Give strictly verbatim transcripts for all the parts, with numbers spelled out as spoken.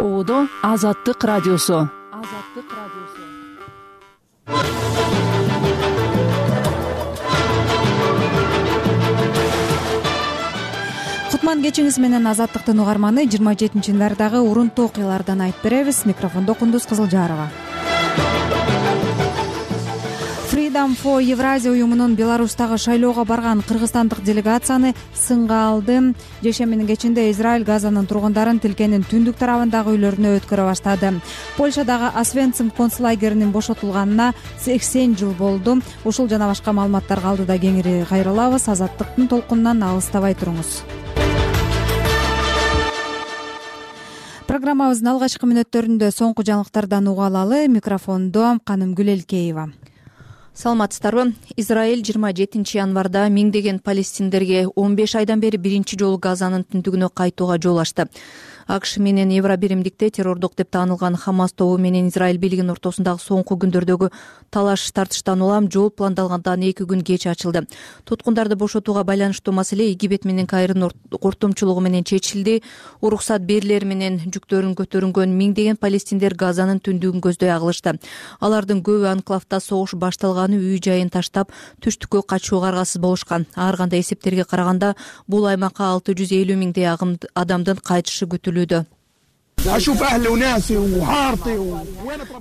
Оодо Азаттык радиосу. Азаттык радиосу. Кутман кечиңиз менен Азаттыктын угарманы жыйырма жетинчи январдагы урунтуу окуялардан айтып беребиз. Микрофондо Кундуз Кызылжарова. Freedom for Евразия уюмунун Беларустагы шайлоого барган кыргызстандык делегацияны сынга алды. Жешембинин кечинде Израиль Газанын тургундарын тилкенин түндүк тарабындагы үйлөрүнө өткөрө баштады. Польшадагы Освенцим концлагеринин бошотулганына сексен жыл болду. Ушул жана башка маалыматтарга алдыда кеңири кайрылабыз. Азаттыктын толкунунан алыстабай туруңуз. Программабыздын алгачкы мүнөттөрүндө соңку жаңылыктардан уга алалы. Микрофондо Канымгүл Элкеева. Саламатсыздарбы? Израиль жыйырма жетинчи январда миңдеген палестиндерге он беш айдан бери биринчи жолу Газанын түндүгүнө кайтууга жол ачты. АКШ менен Евробиримдикте террордук деп таанылган Хамас тобу менен Израиль бийлигинин ортосундагы соңку күндөрдөгү талаш тартыштан улам жол пландалгандан эки күн кеч ачылды. Туткундарды бошотууга байланыштуу маселе Египет менен Кайрынын ортомчулугу менен чечилди. Уруксат берилери менен жүктөрүн көтөрүнгөн миңдеген палестиндер Газанын түндүгүн көздөй агылышты. Алардын көбү анклавда согуш башталганы үй жайын таштап түштүккө качууга аргасыз болушкан. Ар кандай эсептерге караганда бул аймакка алты жүз элүү миңдей адамдын кайтышы күтүлүүдө.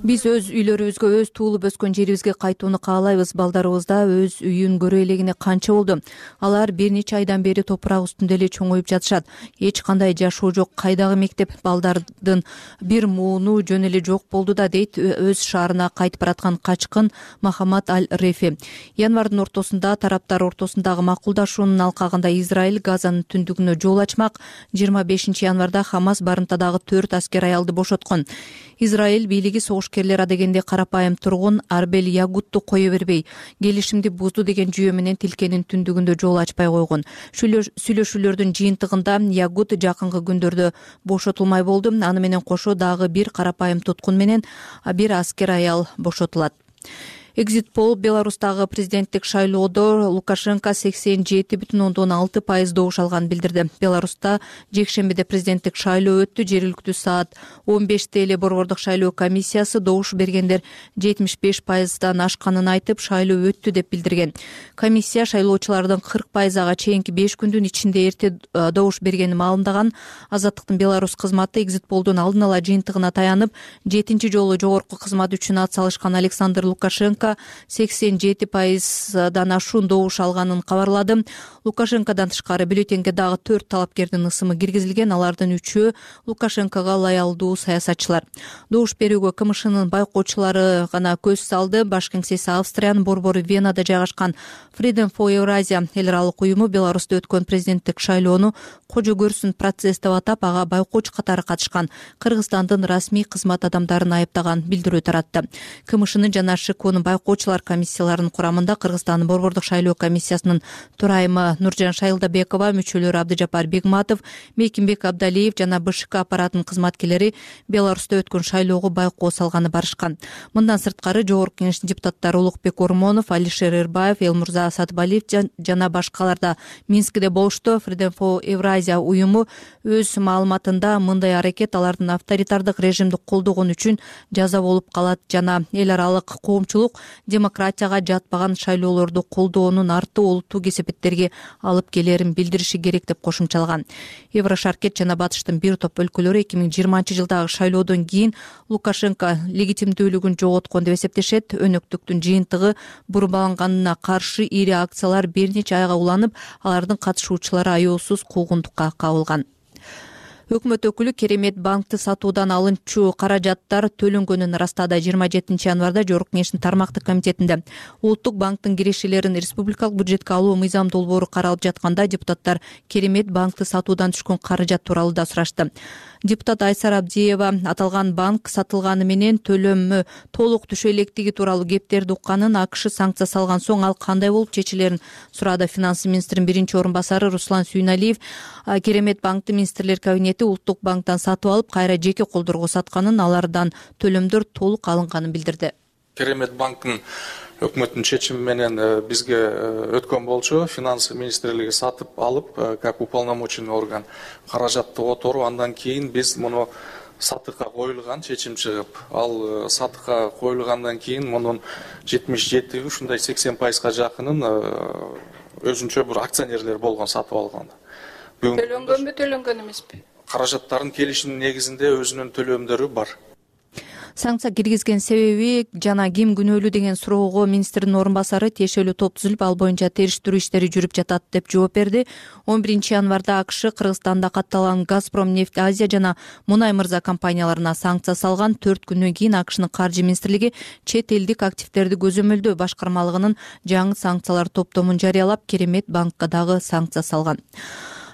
Биз өз үйлөрүбүзгө, өз туулуп өскөн жерибизге кайтууну каалайбыз. Балдарыбызда өз үйүн көрө элегине канча болду. Алар бир нече айдан бери топурак үстүндө эле чоңоюп жатышат. Эч кандай жашоо жок. Кайдагы мектеп? Балдардын бир мууну жөн эле жок болду да, дейт өз шаарына кайтып бараткан качкын Махамад Аль-Рефи. Январдын ортосунда тараптар ортосундагы макулдашуунун алкагында Израиль Газанын түндүгүнө жол ачмак. жыйырма бешинчи январда Хамас барымтадагы төрт аскер аялды бошоткон. Израиль бийлиги согушкерлер адегенде карапайым тургун Арбел Ягутту кое бербей, келишимди бузду деген жүйө менен тилкенин түндүгүндө жол ачпай койгон. Сүйлөшүүлөрдүн жыйынтыгында Ягут жакынкы күндөрдө бошотулмай болду. Аны менен кошо дагы бир карапайым туткун менен бир аскер аял бошотулат. Экзит пол Беларустагы президенттик шайлоодо Лукашенко сексен жети бүтүн ондон алты пайыз добуш алганын билдирди. Беларуста жекшембиде президенттик шайлоо өттү. Жергиликтүү саат он беште эле борбордук шайлоо комиссиясы добуш бергендер жетимиш беш пайыздан ашканын айтып, шайлоо өттү деп билдирген. Комиссия шайлоочулардын кырк пайызга чейинки беш күндүн ичинде эрте добуш бергенин маалымдаган. Азаттыктын Беларус кызматы экзит полдун алдын ала жыйынтыгына таянып, жетинчи жолу жогорку кызмат үчүн ат салышкан Александр Лукашенко сексен жети пайыздан ашуун добуш алганын кабарлады. Лукашенкодон тышкары бюллетенге дагы төрт талапкердин ысымы киргизилген. Алардын үчөө Лукашенкого лаялдуу саясатчылар. Добуш берүүгө КМШнын байкоочулары гана көз салды. Баш кеңсеси Австриянын борбору Венада жайгашкан Freedom for Евразия эл аралык уюму Беларусьта өткөн президенттик шайлоону кожо көрсүн процесс деп атап, ага байкоочу катары катышкан Кыргызстандын расмий кызмат адамдарын айыптаган билдирүү таратты. КМШнын жана ШКОнун байкоочулар комиссияларынын курамында Кыргызстандын борбордук шайлоо комиссиясынын төрайымы Нуржан Шайылдабекова, мүчөлөрү Абдыжапар Бегматов, Мекимбек Абдалиев жана БШК аппаратынын кызматкерлери Беларусьта өткөн шайлоого байкоо салганы барышкан. Мындан сырткары жогорку кеңештин депутаттары Улукбек Ормонов, Алишер Эрбаев, Элмурза Сатыбалиев жана башкалар да Минскиде болушту. Freedom for Евразия уюму өз маалыматында мындай аракет алардын авторитардык режимди колдогон үчүн жаза болуп калат жана эл аралык коомчулук демократияга жатпаган шайлоолорду колдоонун арты олуттуу кесепеттерге алып келерин билдириши керек деп кошумчалаган. Еврошаркет жана Батыштын бир топ өлкөлөрү эки миң жыйырманчы жылдагы шайлоодон кийин Лукашенко легитимдүүлүгүн жоготкон деп эсептешет. Өнөктүктүн жыйынтыгы бурмаланганына каршы ири акциялар бир нече айга уланып, алардын катышуучулары аяосуз куугунтукка кабылган. Өкмөт өкүлү Керемет банкты сатуудан алынчу каражаттар төлөнгөнүн ырастады. жыйырма жетинчи январда Жогорку кеңештин тармактык комитетинде Улуттук банктын кирешелерин республикалык бюджетке алуу мыйзам долбоору каралып жатканда депутаттар Керемет банкты сатуудан түшкөн каражат тууралуу да сурашты. Депутат Айсара Абдиева аталган банк сатылганы менен төлөмү толук түшө электиги тууралуу кептерди укканын, АКШ санкция салган соң ал кандай болуп чечилерин сурады. Финанс министринин биринчи орун басары Руслан Сүйналиев Керемет банкты министрлер кабинети Улуттук банктан сатып алып, кайра жеке колдорго сатканын, алардан төлөмдөр толук алынганын билдирди. Керемет банктын өкмөттүн чечими менен бизге өткөн болчу. Финанс министрлиги сатып алып, как уполномоченный орган каражатты которуп, андан кийин биз муну сатыкка коюлган, чечим чыгып, ал сатыкка коюлгандан кийин мунун жетимиш жети ушундай сексен пайызга жакынын өзүнчө бир акционерлер болгон сатып алганда. Төлөнгөнбү, төлөнгөн эмеспи? Каражаттардын келишимдин негизинде өзүнүн төлөмдөрү бар. Санкция киргизген себеби жана ким күнөөлүү деген суроого министрдин орун басары тиешелүү топ түзүлүп, ал боюнча териштирүү иштери жүрүп жатат деп жооп берди. он биринчи январда АКШ Кыргызстанда катталган Газпром нефть Азия жана Мунай Мырза компанияларына санкция салган. төрт күндөн кийин АКШнын каржы министрлиги чет элдик активдерди көзөмөлдөө башкармалыгынын жаңы санкциялар топтомун жарыялап, Керемет банкка дагы санкция салган.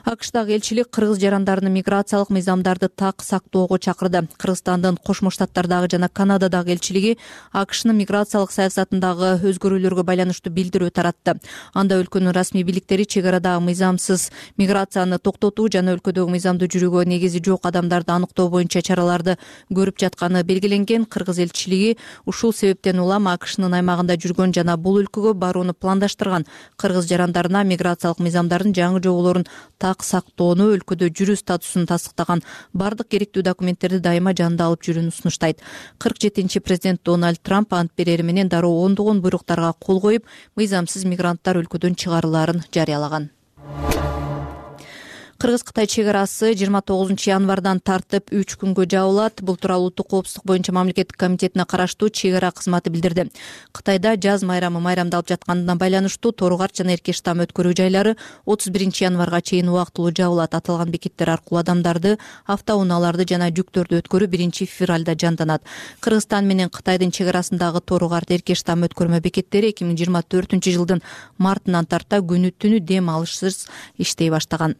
АКШдагы элчилик кыргыз жарандарынын миграциялык мыйзамдарды так сактоого чакырды. Кыргызстандын Кошмо Штаттардагы жана Канададагы элчилиги АКШнын миграциялык саясатындагы өзгөрүүлөргө байланыштуу билдирүү таратты. Анда өлкөнүн расмий бийликтери чек арадагы мыйзамсыз миграцияны токтотуу жана өлкөдөгү мыйзамдуу жүрүүгө негизи жок адамдарды аныктоо боюнча чараларды көрүп жатканы белгиленген. Кыргыз элчилиги ушул себептен улам АКШнын аймагында жүргөн жана бул өлкөгө барууну пландаштырган кыргыз жарандарына миграциялык мыйзамдардын жаңы жоболорун сактоону, өлкөдө жүрүү статусун тастыктаган бардык керектүү документтерди дайыма жанында алып жүрүүнү сунуштайт. кырк жетинчи президент Дональд Трамп ант берери менен дароо ондогон буйруктарга кол коюп, мыйзамсыз мигранттар өлкөдөн чыгарылаарын жарыялаган. Кыргыз-Кытай чек арасы жыйырма тогузунчу январдан тартып үч күнгө жабылат. Бул тууралуу Улуттук коопсуздук боюнча мамлекеттик комитетине караштуу чек ара кызматы билдирди. Кытайда жаз майрамы майрамдалып жатканына байланыштуу Торугарт жана Эрке штам өткөрүү жайлары отуз биринчи январга чейин убактылуу жабылат. Аталган бекеттер аркылуу адамдарды, автоунааларды жана жүктөрдү өткөрүү биринчи февралда жанданат. Кыргызстан менен Кытайдын чек арасындагы Торугарт Эрке штам өткөрмө бекеттери эки миң жыйырма төртүнчү жылдын мартынан тарта күнү түнү дем алышсыз иштей баштаган.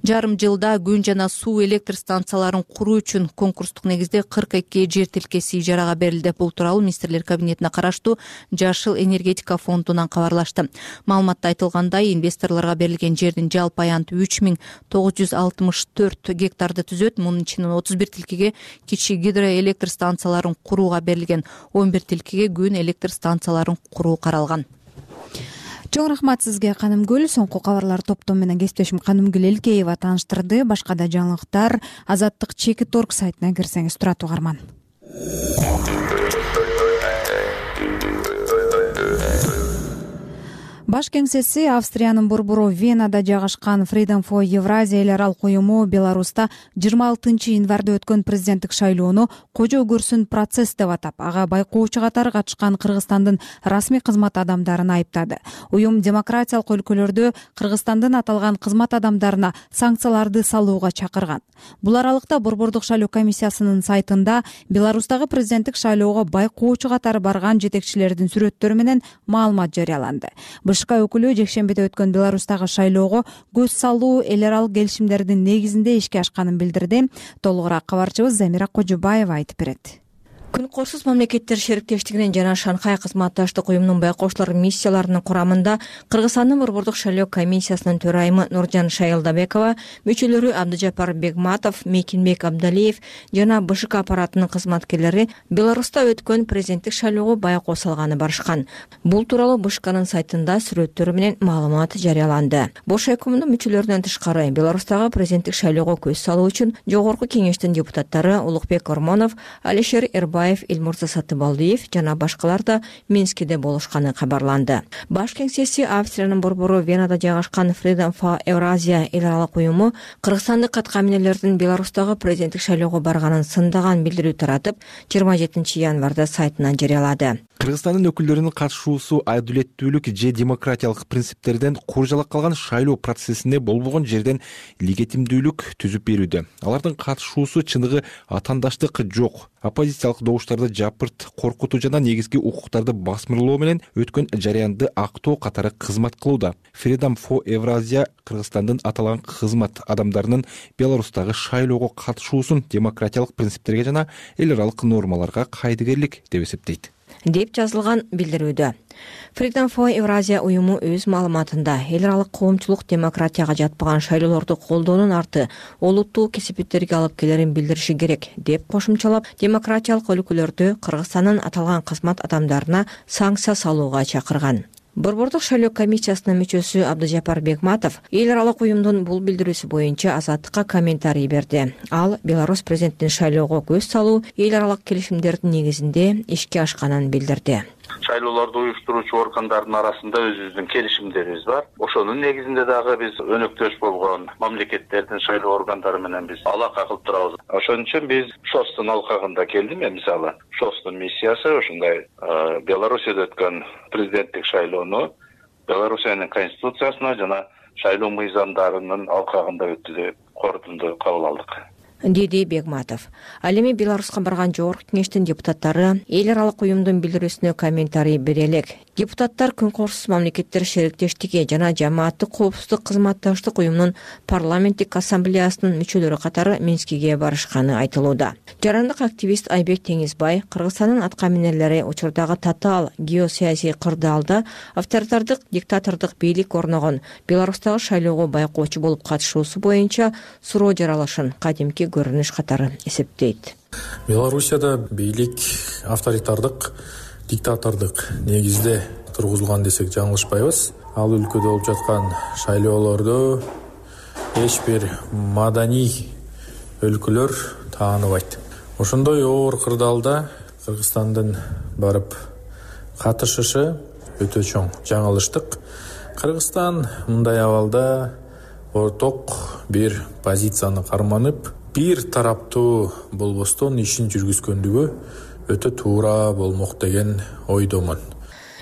Жарым жылда күн жана суу электр станцияларын куруу үчүн конкурстук негизде кырк эки жер тилкеси ижарага берилди. Бул тууралуу министрлер кабинетине караштуу Жашыл энергетика фондунан кабарлашты. Маалыматта айтылгандай, инвесторлорго берилген жердин жалпы аянты үч миң тогуз жүз алтымыш төрт гектарды түзөт. Мунун ичинен отуз бир тилкеге кичи гидроэлектр станцияларын курууга берилген, он бир тилкеге күн электр станцияларын куруу каралган. Чоң рахмат сизге, Канымгүл. Соңку кабарлар топтому менен кесиптешим Канымгүл Элкеева тааныштырды. Башка да жаңылыктар Азаттык Чекит орг сайтына кирсеңиз турат, угарман. Баш кеңсеси Австриянын борбору Венада жайгашкан Freedom for Евразия эл аралык уюму Беларуста жыйырма алтынчы январда өткөн президенттик шайлоону кожо көрсүн процесс деп атап, ага байкоочу катары катышкан Кыргызстандын расмий кызмат адамдарын айыптады. Уюм демократиялык өлкөлөрдө Кыргызстандын аталган кызмат адамдарына санкцияларды салууга чакырган. Бул аралыкта борбордук шайлоо комиссиясынын сайтында Беларустагы президенттик шайлоого байкоочу катары барган жетекчилердин сүрөттөрү менен маалымат жарыяланды. Башка өкүлү жекшембиде өткөн Беларустагы шайлоого көз салуу эл аралык келишимдердин негизинде ишке ашканын билдирди. Толугураак кабарчыбыз Замира Кожубаева айтып берет. Күн коошсуз мамлекеттер шериктештигинин жана Шанхай кызматташтык уюмунун байкоочулар миссияларынын курамында Кыргызстандын борбордук шайлоо комиссиясынын төрайымы Нуржан Шайылдабекова, мүчөлөрү Абдыжапар Бегматов, Мекинбек Абдалиев жана БШК аппаратынын кызматкерлери Беларуста өткөн президенттик шайлоого байкоо салганы барышкан. Бул тууралуу БШКнын сайтында сүрөттөрү менен маалымат жарыяланды. Бош өкүмүнүн мүчөлөрүнөн тышкары Беларустагы президенттик шайлоого көз салуу үчүн Жогорку кеңештин депутаттары Улукбек Ормонов, Алишер Эрбаев, Элмурза Сатыбалдиев жана башкалар да Минскиде болушканы кабарланды. Баш кеңсеси Австриянын борбору Венада жайгашкан Freedom for Евразия эл аралык уюму кыргызстандык каткаминерлердин Беларустагы президенттик шайлоого барганын сындаган билдирүү таратып, жыйырма жетинчи январда сайтынан жарыялады. Кыргызстандын өкүлдөрүнүн катышуусу адилеттүүлүк же демократиялык принциптерден куржалак калган шайлоо процессинде болбогон жерден легитимдүүлүк түзүп берүүдө. Алардын катышуусу чыныгы атаандаштык жок, оппозициялык добуштарды жапырт коркутуу жана негизги укуктарды басмырлоо менен өткөн жарыянды актоо катары кызмат кылууда. Freedom for Евразия Кыргызстандын аталган кызмат адамдарынын Беларустагы шайлоого катышуусун демократиялык принциптерге жана эл аралык нормаларга кайдыгерлик деп эсептейт деп жазылган билдирүүдө. Freedom for Евразия уюму өз маалыматында эл аралык коомчулук демократияга жатпаган шайлоолорду колдоонун арты олуттуу кесипеттерге алып келерин билдириши керек деп кошумчалап, демократиялык өлкөлөрдө Кыргызстандын аталган кызмат адамдарына санкция салууга чакырган. Борбордук шайлоо комиссиясынын мүчөсү Абдыжапар Бекматов эл аралык уюмдун бул билдирүүсү боюнча Азаттыкка комментарий берди. Ал Беларусь президентин шайлоого көз салуу эл аралык келишимдердин негизинде ишке ашканын билдирди. Шайлоолорду уюштуруучу органдардын арасында өзүбүздүн келишимдерибиз бар. Ошонун негизинде дагы биз өнөктөш болгон мамлекеттердин шайлоо органдары менен биз алака кылып турабыз. Ошон үчүн биз ШОСтун алкагында келдим. Мен мисалы ШОСтун миссиясы ушундай Белоруссияда өткөн президенттик шайлоону Белоруссиянын конституциясына жана шайлоо мыйзамдарынын алкагында өттү деп корутунду кабыл алдык, деди Бегматов. Ал эми Беларуска барган жогорку кеңештин депутаттары эл аралык уюмдун билдирүүсүнө комментарий бере элек. Депутаттар Күн Коопсуз мамлекеттер шериктештиги жана Жамааттык коопсуздук кызматташтык уюмунун парламенттик ассамблеясынын мүчөлөрү катары Минскиге барышканы айтылууда. Жарандык активист Айбек Теңизбай Кыргызстандын аткаминерлери учурдагы татаал геосаясий кырдаалда авторитардык диктатордук бийлик орногон Беларустагы шайлоого байкоочу болуп катышуусу боюнча суроо жаралышын кадимки көрүнүш катары эсептейт. Белоруссияда бийлик авторитардык диктатордук негизде тургузулган десек жаңылышпайбыз. Ал өлкөдө болуп жаткан шайлоолорду эч бир маданий өлкөлөр тааныбайт. Ошондой оор кырдаалда Кыргызстандын барып катышышы өтө чоң жаңылыштык. Кыргызстан мындай абалда орток бир позицияны карманып, бир тараптуу болбостон ишин жүргүзгөндүгү өтө туура болмок деген ойдомун.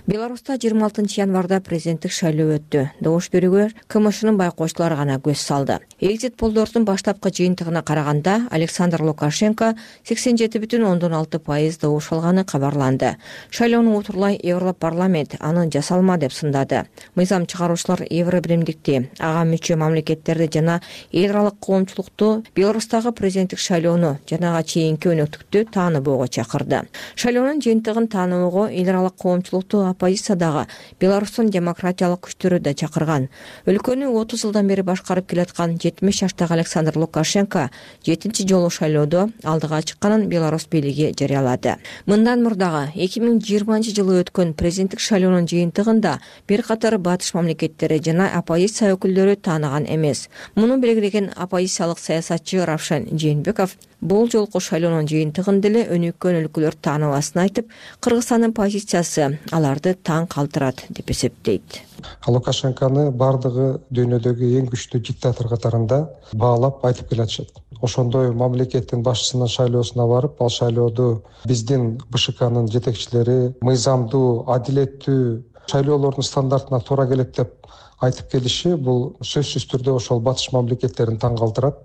Беларуста жыйырма алтынчы январда президенттик шайлоо өттү. Добуш берүүгө КМШнын байкоочулары гана көз салды. Экзит полдордун баштапкы жыйынтыгына караганда Александр Лукашенко сексен жети бүтүн ондон алты пайыз добуш алганы кабарланды. Шайлоону утурлай Европарламент аны жасалма деп сындады. Мыйзам чыгаруучулар Евробиримдикти, ага мүчө мамлекеттерди жана эл аралык коомчулукту Беларустагы президенттик шайлоону жана ага чейинки өнөктүктү тааныбоого чакырды. Шайлоонун жыйынтыгын тааныбоого эл аралык коомчулукту оппозициядагы Беларустун демократиялык күчтөрү да чакырган. Өлкөнү отуз жылдан бери башкарып келаткан жетимиш жаштагы Александр Лукашенко жетинчи жолу шайлоодо алдыга чыкканын Беларусь бийлиги жарыялады. Мындан мурдагы эки миң жыйырманчы жылы өткөн президенттик шайлоонун жыйынтыгында бир катар батыш мамлекеттери жана оппозиция өкүлдөрү тааныган эмес. Муну белгилеген оппозициялык саясатчы Равшан Жээнбеков бул жолку шайлоонун жыйынтыгын деле өнүккөн өлкөлөр тааныбасын айтып, Кыргызстандын позициясы аларды таң калтырат деп эсептейт. Лукашенконы бардыгы дүйнөдөгү эң күчтүү диктатор катарында баалап айтып келатышат. Ошондой мамлекеттин башчысынын шайлоосуна барып, ал шайлоодо биздин БШКнын жетекчилери мыйзамдуу, адилеттүү шайлоолордун стандартына туура келет деп айтып келиши бул сөзсүз түрдө ошол батыш мамлекеттерин таң калтырат.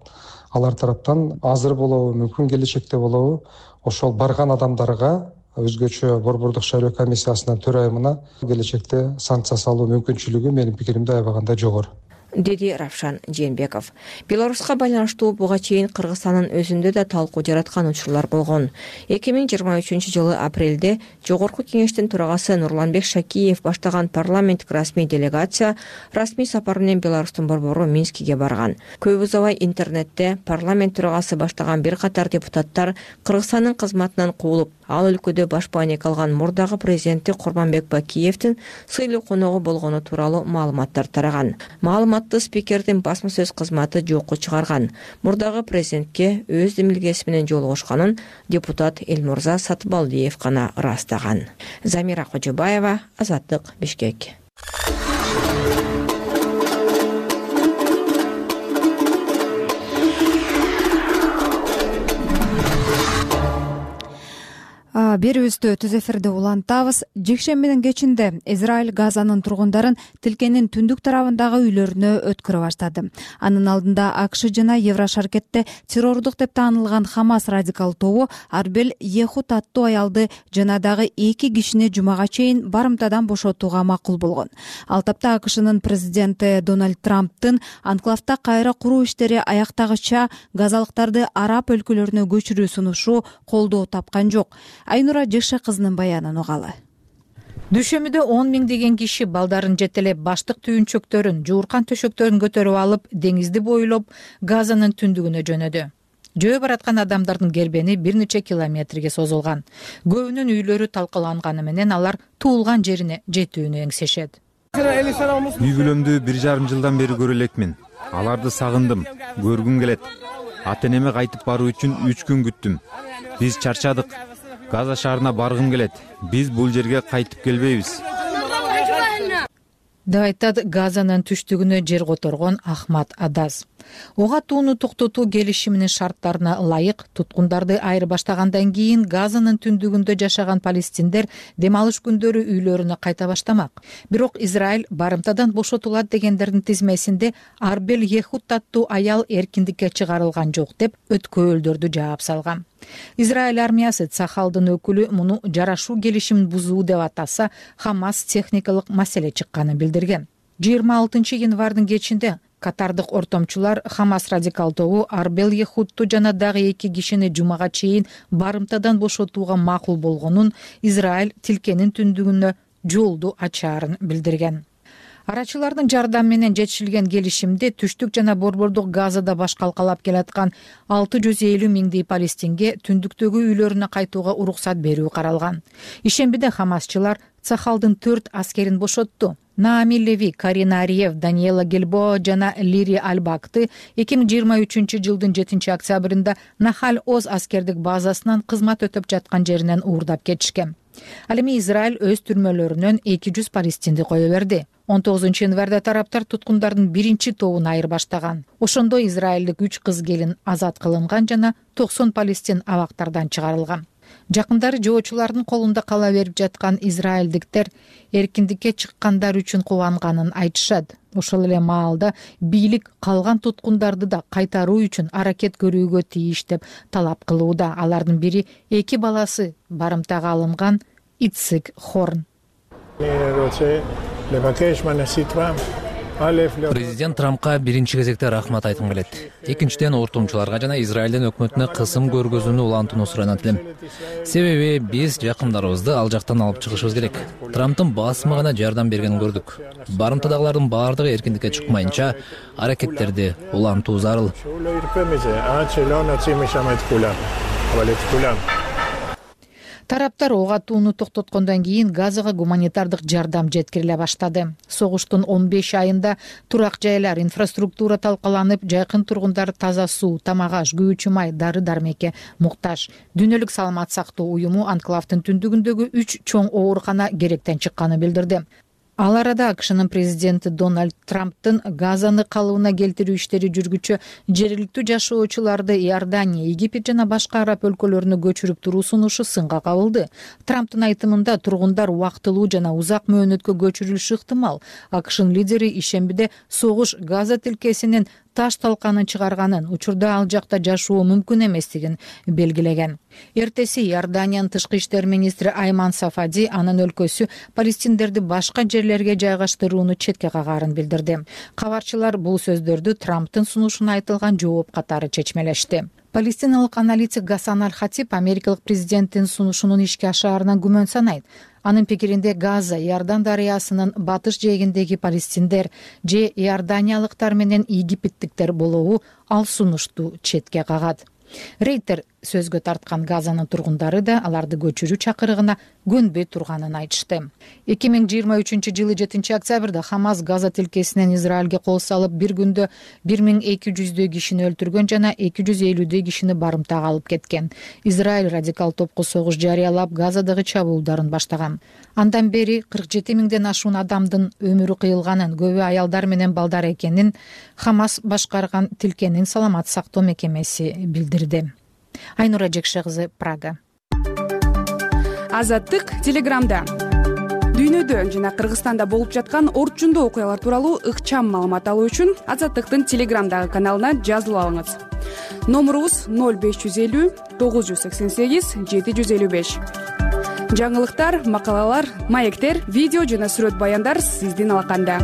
Алар тараптан азыр болобу, мүмкүн келечекте болобу, ошол барган адамдарга өзгөчө Борбордук шайлоо комиссиясынын төрайымына келечекте санкция салуу мүмкүнчүлүгү менин пикиримде аябаганда жогору, деди Равшан Жээнбеков. Беларуска байланыштуу буга чейин Кыргызстандын өзүндө да талкуу жараткан учурлар болгон. эки миң жыйырма үчүнчү жылы апрелде Жогорку кеңештин төрагасы Нурланбек Шакиев баштаган парламенттик расмий делегация расмий сапар менен Беларустун борбору Минскиге барган. Көп узабай интернетте парламент төрагасы баштаган бир катар депутаттар Кыргызстандын кызматынан куулуп, ал өлкөдө баш байнек алган мурдагы президенти Курманбек Бакиевдин сыйлуу коногу болгону тууралуу маалыматтар тараган. Маалыматты спикердин басма сөз кызматы жокко чыгарган. Мурдагы президентке өз демилгеси менен жолугушканын депутат Элмурза Сатыбалдиев гана ырастаган. Замира Кожобаева, Азаттык, Бишкек. Берүүбүздү түз эфирде улантабыз. Жекшембинин кечинде Израиль Газанын тургундарын тилкенин түндүк тарабындагы үйлөрүнө өткөрө баштады. Анын алдында АКШ жана Еврошаркетте террордук деп таанылган Хамас радикал тобу Арбел Ехут аттуу аялды жана дагы эки кишини жумага чейин барымтадан бошотууга макул болгон. Ал тапта АКШнын президенти Дональд Трамптын анклавда кайра куруу иштери аяктагыча газалыктарды араб өлкөлөрүнө көчүрүү сунушу колдоо тапкан жок. Айнура Жекше кызынын баянын угалы. Дүйшөмбүдө он миңдеген киши балдарын жетелеп, баштык түйүнчөктөрүн, жууркан төшөктөрүн көтөрүп алып, деңизди бойлоп Газанын түндүгүнө жөнөдү. жөө бараткан адамдардын кербени бир нече километрге созулган. Көбүнүн үйлөрү талкаланганы менен алар туулган жерине жетүүнү эңсешет. Үй бүлөмдү бир жарым жылдан бери көрө элекмин. Аларды сагындым, көргүм келет. Ата энеме кайтып баруу үчүн үч күн күттүм. Биз чарчадык. Газа шаарына баргым келет. Биз бул жерге кайтып келбейбиз. деп айтат Газанын түштүгүнө жер которгон Ахмад Адаз. Ого атууну токтотуу келишиминин шарттарына ылайык туткундарды айырбаштагандан кийин Газанын түндүгүндө жашаган палестиндер дем алыш күндөрү үйлөрүнө кайта баштамак. Бирок Израиль барымтадан бошотулат дегендердин тизмесинде Арбел Ехуд аттуу аял эркиндикке чыгарылган жок деп өткөөлдөрдү жаап салган. Израиль армиясы Цахалдын өкүлү муну жарашуу келишимин бузуу деп атаса, Хамас техникалык маселе чыкканын билдирген. жыйырма алтынчы январдын кечинде катардык ортомчулар Хамас радикал тобу Арбел Ехудту жана дагы эки кишини жумага чейин барымтадан бошотууга макул болгонун, Израиль тилкенин түндүгүнө жолду ачаарын билдирген. Арачылардын жардамы менен жетишилген келишимде түштүк жана борбордук Газада баш калкалап келаткан алты жүз элүү миңдей палестинге түндүктөгү үйлөрүнө кайтууга уруксат берүү каралган. Ишембиде Хамасчылар Цахалдын төрт аскерин бошотту. Наами Леви, Карина Ариев, Даниэла Гельбо жана Лири Альбакты эки миң жыйырма үчүнчү жылдын жетинчи октябрында Нахаль Оз аскердик базасынан кызмат өтөп жаткан жеринен уурдап кетишкен. Ал эми Израиль өз түрмөлөрүнөн эки жүз палестинди кое берди. он тогузунчу январда тараптар туткундардын биринчи тобун айырбаштаган. Ошондо израилдик үч кыз келин азат кылынган жана токсон палестин абактардан чыгарылган. Жакындары жоочулардын колунда кала берип жаткан израилдиктер эркиндикке чыккандар үчүн кубанганын айтышат. Ошол эле маалда бийлик калган туткундарды да кайтаруу үчүн аракет көрүүгө тийиш деп талап кылууда. Алардын бири эки баласы барымтага алынган Ицик Хорн. Президент Трампка биринчи кезекте рахмат айткым келет. Экинчиден ортомчуларга жана Израилдин өкмөтүнө кысым көргөзүүнү улантууну суранат элем. Себеби биз жакындарыбызды ал жактан алып чыгышыбыз керек. Трамптын басымы гана жардам бергенин көрдүк. Барымтадагылардын баардыгы эркиндикке чыкмайынча аракеттерди улантуу зарыл. Тараптар ого атууну токтоткондон кийин Газага гуманитардык жардам жеткириле баштады. Согуштун он беш айында турак жайлар, инфраструктура талкаланып, жайкын тургундар таза суу, тамак аш, күйүүчү май, дары-дармекке муктаж. Дүйнөлүк саламат сактоо уюму анклавдын түндүгүндөгү үч чоң оорукана керектен чыкканын билдирди. Ал арада АКШнын президенти Дональд Трамптын Газаны калыбына келтирүү иштери жүргүчү жергиликтүү жашоочуларды Иордания, Египет жана башка араб өлкөлөрүнө көчүрүп туруу сунушу сынга кабылды. Трамптын айтымында тургундар убактылуу жана узак мөөнөткө көчүрүлүшү ыктымал. АКШнын лидери ишембиде согуш Газа тилкесинин таш талканын чыгарганын, учурда ал жакта жашоо мүмкүн эместигин белгилеген. Эртеси Иорданиянын тышкы иштер министри Айман Сафади анын өлкөсү палестиндерди башка жерлерге жайгаштырууну четке кагаарын билдирди. Кабарчылар бул сөздөрдү Трамптын сунушуна айтылган жооп катары чечмелешти. Палестиналык аналитик Гасан Аль-Хатиб америкалык президенттин сунушунун ишке ашаарынан күмөн санайт. Анын пикиринде Газа, Иордан дарыясынын батыш жээгиндеги палестиндер же иорданиялыктар менен египеттиктер болобу ал сунушту четке кагат. Рейтер сөзгө тарткан Газанын тургундары да аларды көчүрүү чакырыгына көнбөй турганын айтышты. эки миң жыйырма үчүнчү жылы жетинчи октябрда Хамас Газа тилкесинен Израилге кол салып, бир күндө бир миң эки жүздөй кишини өлтүргөн жана эки жүз элүүдөй кишини барымтага алып кеткен. Израиль радикал топко согуш жарыялап, Газадагы чабуулдарын баштаган. Андан бери кырк жети миңден ашуун адамдын өмүрү кыйылганын, көбү аялдар менен балдар экенин Хамас башкарган тилкенин саламат сактоо мекемеси билдирди. Айнура Жекше кызы, Прага. Азаттык Телеграмда. Дүйнөдө жана Кыргызстанда болуп жаткан орчундуу окуялар тууралуу ыкчам маалымат алуу үчүн Азаттыктын Телеграмдагы каналына жазылып алыңыз. Номурубуз ноль беш жүз элүү тогуз жүз сексен сегиз жети жүз элүү беш. Жаңылыктар, макалалар, маектер, видео жана сүрөт баяндар сиздин алаканда.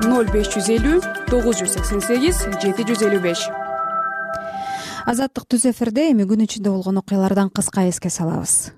ноль беш жүз элүү тогуз жүз сексен сегиз жети жүз элүү беш. Азаттык түз эфирде эми күн ичинде болгон окуялардан кыска эске салабыз.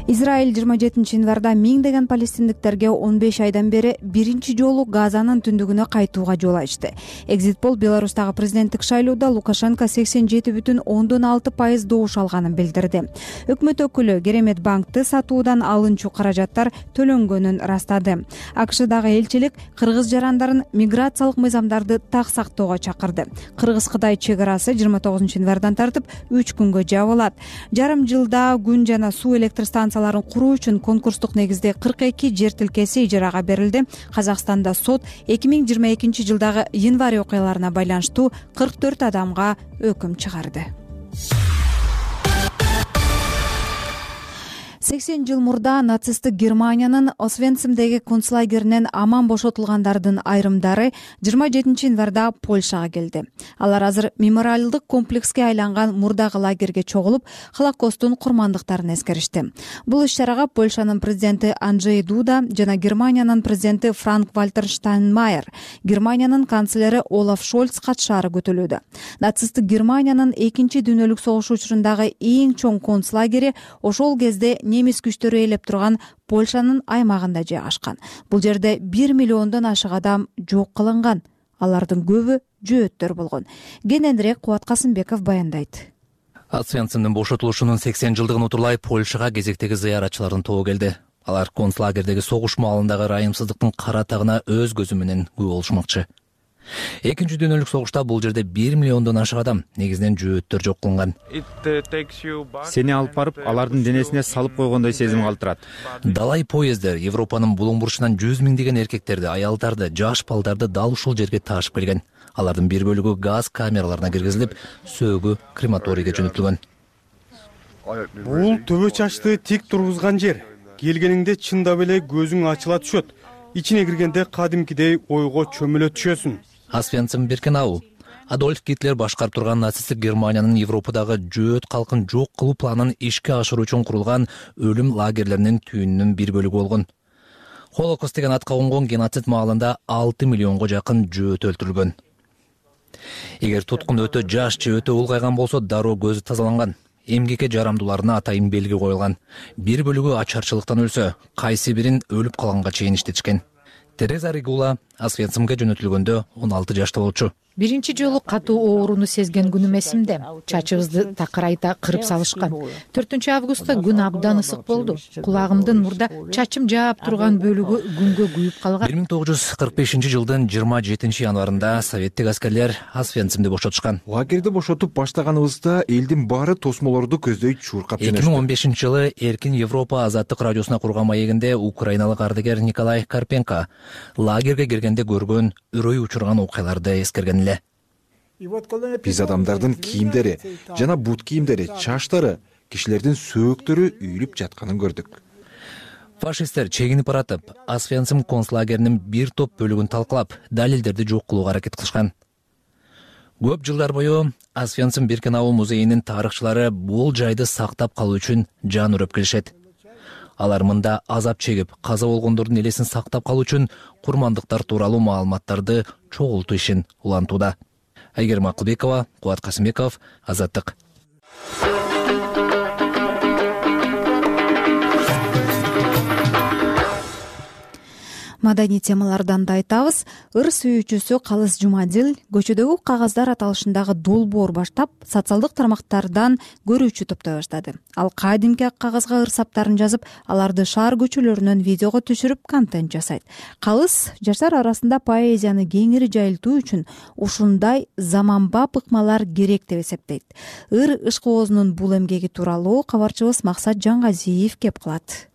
Израиль жыйырма жетинчи январда миңдеген палестиндиктерге он беш айдан бери биринчи жолу Газанын түндүгүнө кайтууга жол ачты. Экзитпол Беларустагы президенттик шайлоодо Лукашенко сексен жети бүтүн ондон алты пайыз добуш алганын билдирди. Өкмөт өкүлү Керемет банкты сатуудан алынчу каражаттар төлөнгөнүн растады. АКШдагы элчилик кыргыз жарандарын миграциялык мыйзамдарды так сактоого чакырды. Кыргыз-Кытай чек арасы жыйырма тогузунчу январдан тартып үч күнгө жабылат. Жарым жылда күн жана суу электр станцияларын куруу үчүн конкурстук негизде кырк эки жер тилкеси ижарага берилди. Казакстанда сот эки миң жыйырма экинчи жылдагы январь окуяларына байланыштуу кырк төрт адамга өкүм чыгарды. сексен жыл мурда нацисттик Германиянын Освенцимдеги концлагеринен аман бошотулгандардын айрымдары жыйырма жетинчи январда Польшага келди. Алар азыр мемориалдык комплекске айланган мурдагы лагерге чогулуп, Холокосттун курмандыктарын эскеришти. Бул иш-чарага Польшанын президенти Анджей Дуда жана Германиянын президенти Франк-Вальтер Штайнмайер, Германиянын канцлери Олаф Шольц катышаары күтүлүүдө. Нацисттик Германиянын экинчи дүйнөлүк согуш учурундагы эң чоң концлагери ошол кезде немис күчтөрү ээлеп турган Польшанын аймагында жайгашкан. Бул жерде бир миллиондон ашык адам жок кылынган. Алардын көбү жөөттөр болгон. Кененирээк Кубат Касымбеков баяндайт. Освенцимдин бошотулушунун сексен жылдыгын утурлай Польшага кезектеги зыяратчылардын тобу келди. Алар концлагердеги согуш маалындагы ырайымсыздыктын кара тагына өз көзү менен күбө болушмакчы. Экинчи дүйнөлүк согушта бул жерде бир миллиондон ашык адам, негизинен жөөттөр жок кылынган. Сени алып барып, алардын денесине салып койгондой сезим калтырат. Далай поездер Европанын булуң бурчунан жүз миңдеген эркектерди, аялдарды, жаш балдарды дал ушул жерге ташып келген. Алардын бир бөлүгү газ камераларына киргизилип, сөөгү крематорийге жөнөтүлгөн. Бул төбө чачты тик тургузган жер. Келгениңде чындап эле көзүң ачыла түшөт. Ичине киргенде кадимкидей ойго чөмүлө түшөсүң. Освенцим Биркенау. Адольф Гитлер башкарып турган нацисттик Германиянын Европадагы жөөт калкын жок кылуу планын ишке ашыруу үчүн курулган өлүм лагерлеринин түйүнүнүн бир бөлүгү болгон. Холокост деген атка конгон геноцид маалында алты миллионго жакын жөөт өлтүрүлгөн. Эгер туткун өтө жаш же өтө улгайган болсо, дароо көзү тазаланган. Эмгекке жарамдууларына атайын белги коюлган. Бир бөлүгү ачарчылыктан өлсө, кайсы бирин өлүп калганга чейин иштетишкен. Тереза Ригула Освенцимге жөнөтүлгөндө он алты жашта болчу. Биринчи жолу катуу ооруну сезген күнүм эсимде. Чачыбызды такырайта кырып салышкан. төртүнчү августта күн абдан ысык болду. Кулагымдын мурда чачым жаап турган бөлүгү күнгө күйүп калган. бир миң тогуз жүз кырк бешинчи жылдын жыйырма жетинчи январында советтик аскерлер Освенцимди бошотушкан. Лагерди бошотуп баштаганыбызда элдин баары тосмолорду көздөй чуркап жөнөштү. эки миң он бешинчи жылы Эркин Европа азаттык радиосуна курган маегинде украиналык ардагер Николай Карпенко лагерге киргенде көргөн, үрөй учурган окуяларды эскерген эле. Биз адамдардын кийимдери жана бут кийимдери, чаштары, кишилердин сөөктөрү үйүлүп жатканын көрдүк. Фашисттер чегинип баратып, Освенцим концлагеринин бир топ бөлүгүн талкалап, далилдерди жок кылууга аракет кылышкан. Көп жылдар бою Освенцим Биркенау музейинин тарыхчылары бул жайды сактап калуу үчүн жан үрөп келишет. Алар мында азап чегип, каза болгондордун элесин сактап калуу үчүн курмандыктар тууралуу маалыматтарды чогултуу ишин улантууда. Айгерим Акылбекова, Кубат Касымбеков, Азаттык. Маданий темалардан да айтабыз. Ыр сүйүүчүсү Калыс Жумадил көчөдөгү кагаздар аталышындагы долбоор баштап, социалдык тармактардан көрүүчү топтой баштады. Ал кадимки ак кагазга ыр саптарын жазып, аларды шаар көчөлөрүнөн видеого түшүрүп, контент жасайт. Калыс жаштар арасында поэзияны кеңири жайылтуу үчүн ушундай заманбап ыкмалар керек деп эсептейт. Ыр ышкоозунун бул эмгеги тууралуу кабарчыбыз Максат Жаңгазиев кеп кылат.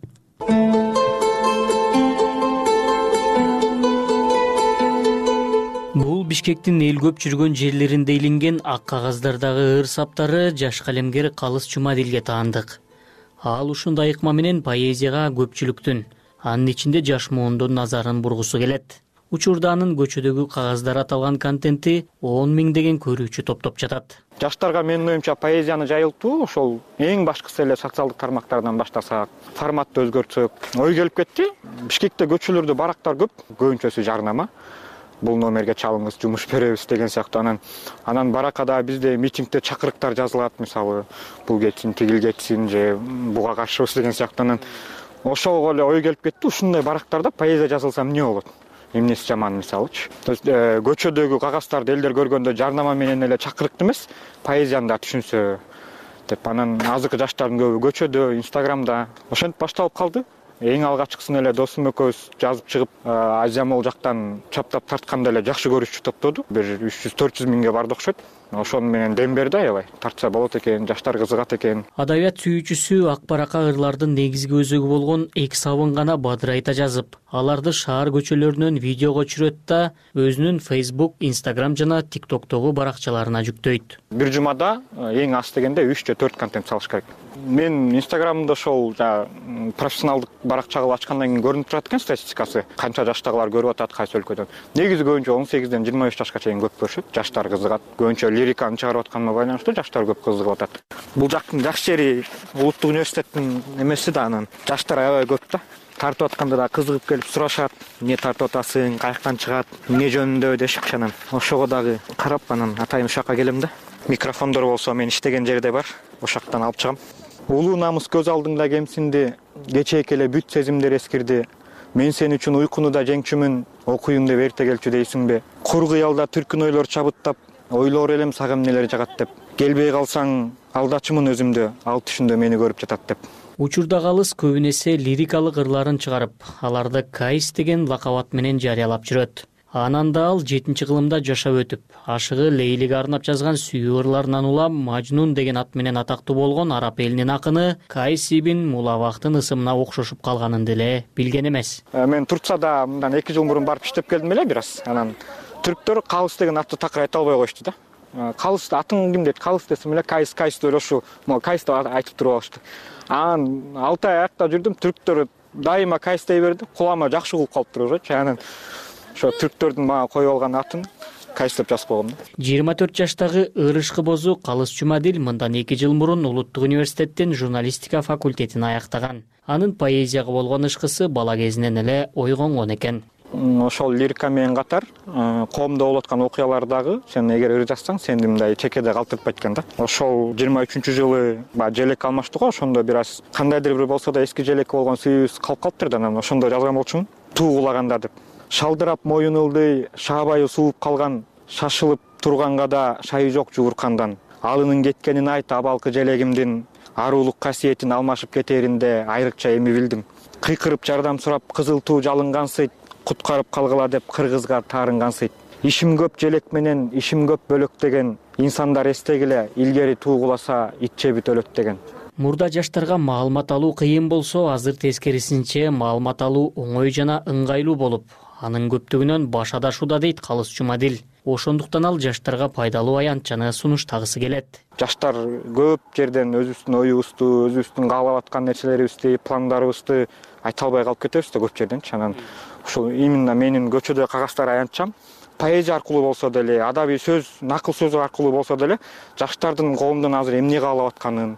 Бул Бишкектин эл көп жүргөн жерлеринде илинген ак кагаздардагы ыр саптары жаш калемгер Калыс Жумадилге таандык. Ал ушундай ыкма менен поэзияга көпчүлүктүн, анын ичинде жаш муундун назарын бургусу келет. Учурда анын көчөдөгү кагаздар аталган контенти он миңдеген көрүүчү топтоп жатат. Жаштарга менин оюмча поэзияны жайылтуу ошол эң башкысы эле социалдык тармактардан баштасак, форматты өзгөртсөк, ой келип кетти. Бишкекте көчөлөрдө барактар көп, көбүнчөсү жарнама. бул номерге чалыңыз, жумуш беребиз деген сыяктуу. Анан анан баракада бизде митингде чакырыктар жазылат, мисалы бул кетсин, тигил кетсин же буга каршыбыз деген сыяктуу. Анан ошого эле ой келип кетти, ушундай барактарда поэзия жазылса эмне болот? Эмнеси жаман, мисалычы. То есть көчөдөгү кагаздарды элдер көргөндө жарнама менен эле чакырыктуу эмес, поэзияны да түшүнсө деп. Анан азыркы жаштардын көбү көчөдө, Инстаграмда ошентип башталып калды. Эң алгачкысын эле досум экөөбүз жазып чыгып, Азия мол жактан чаптап тартканда эле жакшы көрүүчү топтоду. Бир үч жүз төрт жүз миңге барды окшойт. Ошону менен дем берди, аябай. Тартса болот экен, жаштар кызыгат экен. Адабият сүйүүчүсү ак баракка ырлардын негизги өзөгү болгон эки сабын гана бадырайта жазып, аларды шаар көчөлөрүнөн видеого түшүрөт да өзүнүн Facebook, Instagram жана TikTok'тогу баракчаларына жүктөйт. Бир жумада эң аз дегенде үч же төрт контент салыш керек. Мен Инстаграмда ошол профессионалдык баракча кылып ачкандан кийин көрүнүп турат экен статистикасы. Канча жаштагылар көрүп атат, кайсы өлкөдөн. Негизи көбүнчө он сегизден жыйырма беш жашка чейин көп көрүшөт. Жаштар кызыгат. Көбүнчө лириканы чыгарып атканыма байланыштуу жаштар көп кызыгып атат. Бул жактын жакшы жери улуттук университеттин эмеси да, анан жаштар аябай көп да. Тартып атканда да кызыгып келип сурашат, эмне тартып атасың, каяктан чыгат, эмне жөнүндө дешип, анан ошого дагы карап анан атайын ушакка келем да. Микрофондор болсо мен иштеген жерде бар, ошактан алып чыгам. Улуу намыс көз алдыңда кемсинди, кечээк эле бүт сезимдер эскирди. Мен сен үчүн уйкуну да жеңчүмүн, окуйм деп эрте келчү дейсиңби? Кур кыялда түркүн ойлор чабыттап, ойлоор элем сага эмнелер жагат деп. Келбей калсаң алдачымын өзүмдү, ал түшүндө мени көрүп жатат деп. Учурда калыс көбүнесе лирикалык ырларын чыгарып, аларды Кайс деген лакабат менен жарыялап жүрөт. Анан да ал жетинчи кылымда жашап өтүп, ашыгы Лейлиге арнап жазган сүйүү ырларынан улам Мажнун деген ат менен атактуу болгон араб элинин акыны Кайс ибн Мулавахтын ысымына окшошуп калганын деле билген эмес. Мен Турцияда мындан эки жыл мурун барып иштеп келдим эле бир аз. Анан түрктөр Калыс деген атты такыр айта албай коюшту да. Калыс атың ким дейт? Калыс десем эле Кайс Кайс деп ошо, могу Кайс деп айтып туруп алышты. Анан алты ай аякта жүрдүм, түрктөр дайыма Кайс дей берди. Кулама жакшы угуп калыптыр ошо. Анан ошо түрктөрдүн мага коюп алган атын Кайс деп жазып койгом да. жыйырма төрт жаштагы ырышкы бозу Калыс Жумадил мындан эки жыл мурун Улуттук университеттин журналистика факультетин аяктаган. Анын поэзияга болгон ышкысы бала кезинен эле ойгонгон экен. Ошол лирика менен катар коомдо болуп аткан окуялардагы сен эгер ыр жазсаң, сени мындай чекеде калтыртпайт экен да. Ошол жыйырма үчүнчү жылы баягы желек алмаштык го, ошондо бир аз кандайдыр бир болсо да эски желек болгон сүйүүбүз калып калыптыр да, анан ошондо жазган болчумун. Туу кулаганда деп. Шалдырап моюн ылдый, шаабайы сууп калган, шашылып турганга да шайы жок жууркандан. Алынын кеткенин айт абалкы желегимдин, аруулук касиетин алмашып кетеринде айрыкча эми билдим. Кыйкырып жардам сурап кызыл туу жалынгансыйт, куткарып калгыла деп кыргызга таарынгансыйт. Ишим көп желек менен, ишим көп бөлөк деген, инсандар эстегиле, илгери туу куласа ит жебит өлөт деген. Мурда жаштарга маалымат алуу кыйын болсо, азыр тескерисинче маалымат алуу оңой жана ыңгайлуу болуп, анын көптүгүнөн баш адашууда дейт Калыс Жумадил. Ошондуктан ал жаштарга пайдалуу аянтчаны сунуштагысы келет. Жаштар көп жерден өзүбүздүн оюбузду, өзүбүздүн каалап аткан нерселерибизди, пландарыбызды айта албай калып кетебиз да көп жерден. Анан ушул именно менин көчөдө кагаздар аянтчам поэзия аркылуу болсо деле, адабий сөз, накыл сөз аркылуу болсо деле жаштардын коомдон азыр эмне каалап атканын,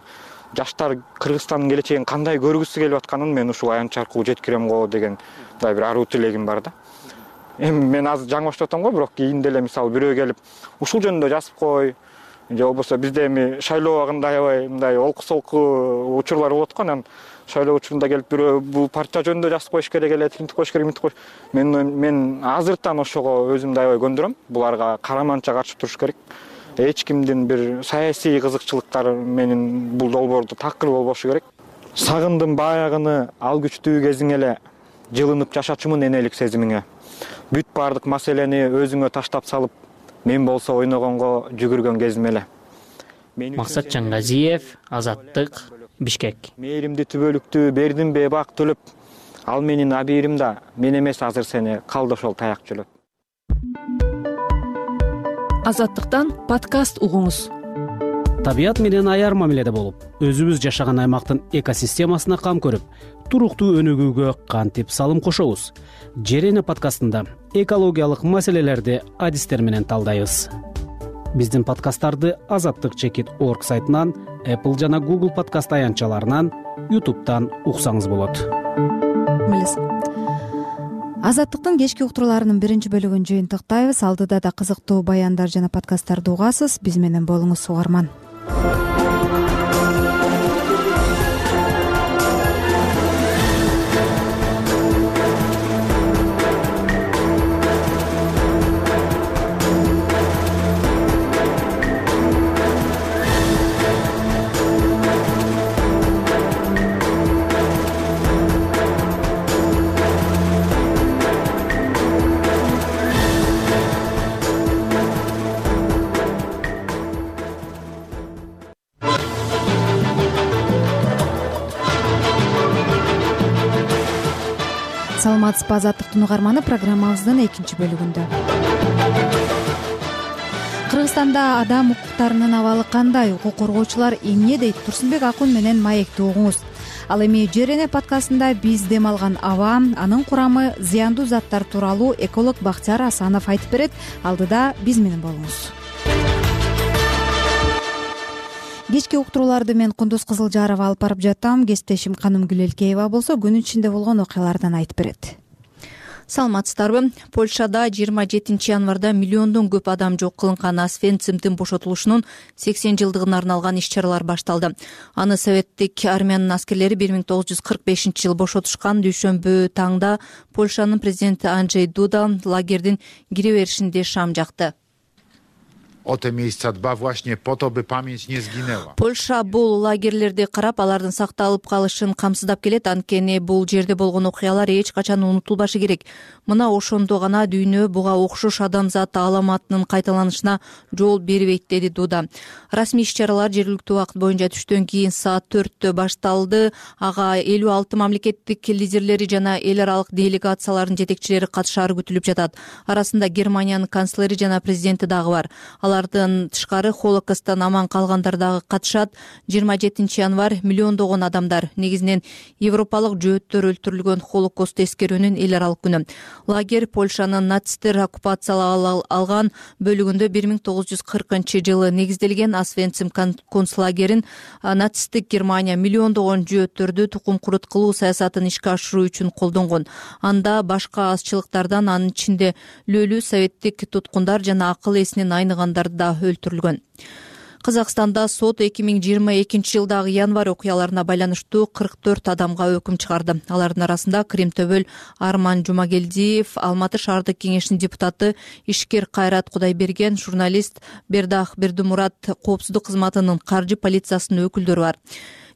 жаштар Кыргызстандын келечегин кандай көргүсү келип атканын мен ушул аянтч аркылуу жеткирем го деген мындай бир аруу тилегим бар да. Эми мен азыр жаңылышып атам го, бирок кийинде эле мисалы бирөө келип ушул жөнүндө жазып кой, же болбосо бизде эми шайлоо убагында аябай мындай олку-солку учурлар болот го, анан шайлоо учурунда келип бирөө бул партия жөнүндө жазып коюш керек эле, тинтип коюш керек, мынтип коюш. Мен мен азыртан ошого өзүмдү аябай көндүрөм. Буларга караманча каршы туруш керек. Эч кимдин бир саясий кызыкчылыктары менин бул долбоордо такыр болбошу керек. Сагындым баягыны, ал күчтүү кезиң эле, жылынып жашачумун энелик сезимиңе. Бүт бардык маселени өзүңө таштап салып, мен болсо ойногонго жүгүргөн кезим эле. Максат Жаңгазиев, Азаттык, Бишкек. Мээримди түбөлүктү бердим бебак төлөп, ал менин абийирим да, мен эмес азыр сени калды ошол таяк жөлөп. Азаттыктан подкаст угуңуз. Табият менен аяр мамиледе болуп, өзүбүз жашаган аймактын экосистемасына кам көрүп, туруктуу өнүгүүгө кантип салым кошобуз? Жерене подкастында экологиялык маселелерди адистер менен талдайбыз. Биздин подкасттарды азаттык чекит точка орг сайтынан, Apple жана Google подкаст аянтчаларынан, YouTube'дан уксаңыз болот. Азаттыктын кечки уктурууларынын биринчи бөлүгүн жыйынтыктайбыз. Алдыда да кызыктуу баяндар жана подкасттарды угасыз. Биз менен болуңуз, угарман. Саламатсызбы, Азаттыктын угарманы, программабыздын экинчи бөлүгүндө. Кыргызстанда адам укуктарынын абалы кандай? Укук коргоочулар эмне дейт? Турсунбек Акун менен маекти угуңуз. Ал эми Жер эне подкастында биз дем алган аба, анын курамы, зыяндуу заттар тууралуу эколог Бактияр Асанов айтып берет. Алдыда биз менен болуңуз. Кечки уктурууларды мен Кундуз Кызылжарова алып барып жаттым. Кесиптешим Каным Гүлелкеева болсо күнүн ичинде болгон окуялардан айтып берет. Саламатсыздарбы? Польшада жыйырма жетинчи январда миллиондон көп адам жок кылынган Освенцимдин бошотулушунун сексен жылдыгына арналган иш-чаралар башталды. Аны советтик армиянын аскерлери бир миң тогуз жүз кырк бешинчи жылы бошотушкан. Дүйшөмбү таңда Польшанын президенти Анджей Дуда лагердин кире беришинде шам жакты. O te miejsca dba właśnie po to, by pamięć nie zginęła. Польша бул лагерлерди карап, алардын сакталып калышын камсыздап келет. Анткени бул жерде болгон окуялар эч качан унутулбашы керек. Мына ошондо гана дүйнө буга окшош адамзат аламатынын кайталанышына жол бербейт, деди Дуда. Расмий иш-чаралар жергиликтүү убакыт боюнча түштөн кийин саат төрттө башталды. Ага элүү алты мамлекеттик лидерлери жана эл аралык делегациялардын жетекчилери катышаары күтүлүп жатат. Арасында Германиянын канцлери жана президенти дагы бар. Алардын тышкары Холокосттан аман калгандар дагы катышат. жыйырма жетинчи январ миллиондогон адамдар, негизинен европалык жөөттөр өлтүрүлгөн Холокосту эскерүүнүн эл аралык күнү. Лагерь Польшанын нацисттер оккупациялап алган бөлүгүндө бир миң тогуз жүз кыркынчы жылы негизделген. Освенцим концлагерин нацисттик Германия миллиондогон жөөттөрдү тукум куруткылуу саясатын ишке ашыруу үчүн колдонгон. Анда башка азчылыктардан, анын ичинде лөлүү советтик туткундар жана акыл эсинен айныгандар да өлтүрүлгөн. Казакстанда сот эки миң жыйырма экинчи жылдагы январь окуяларына байланыштуу кырк төрт адамга өкүм чыгарды. Алардын арасында Кримтөбөл Арман Жумагелдиев, Алматы шаардык кеңешинин депутаты ишкер Кайрат Кудайберген, журналист Бердах Бердумурат, коопсуздук кызматынын каржы полициясынын өкүлдөрү бар.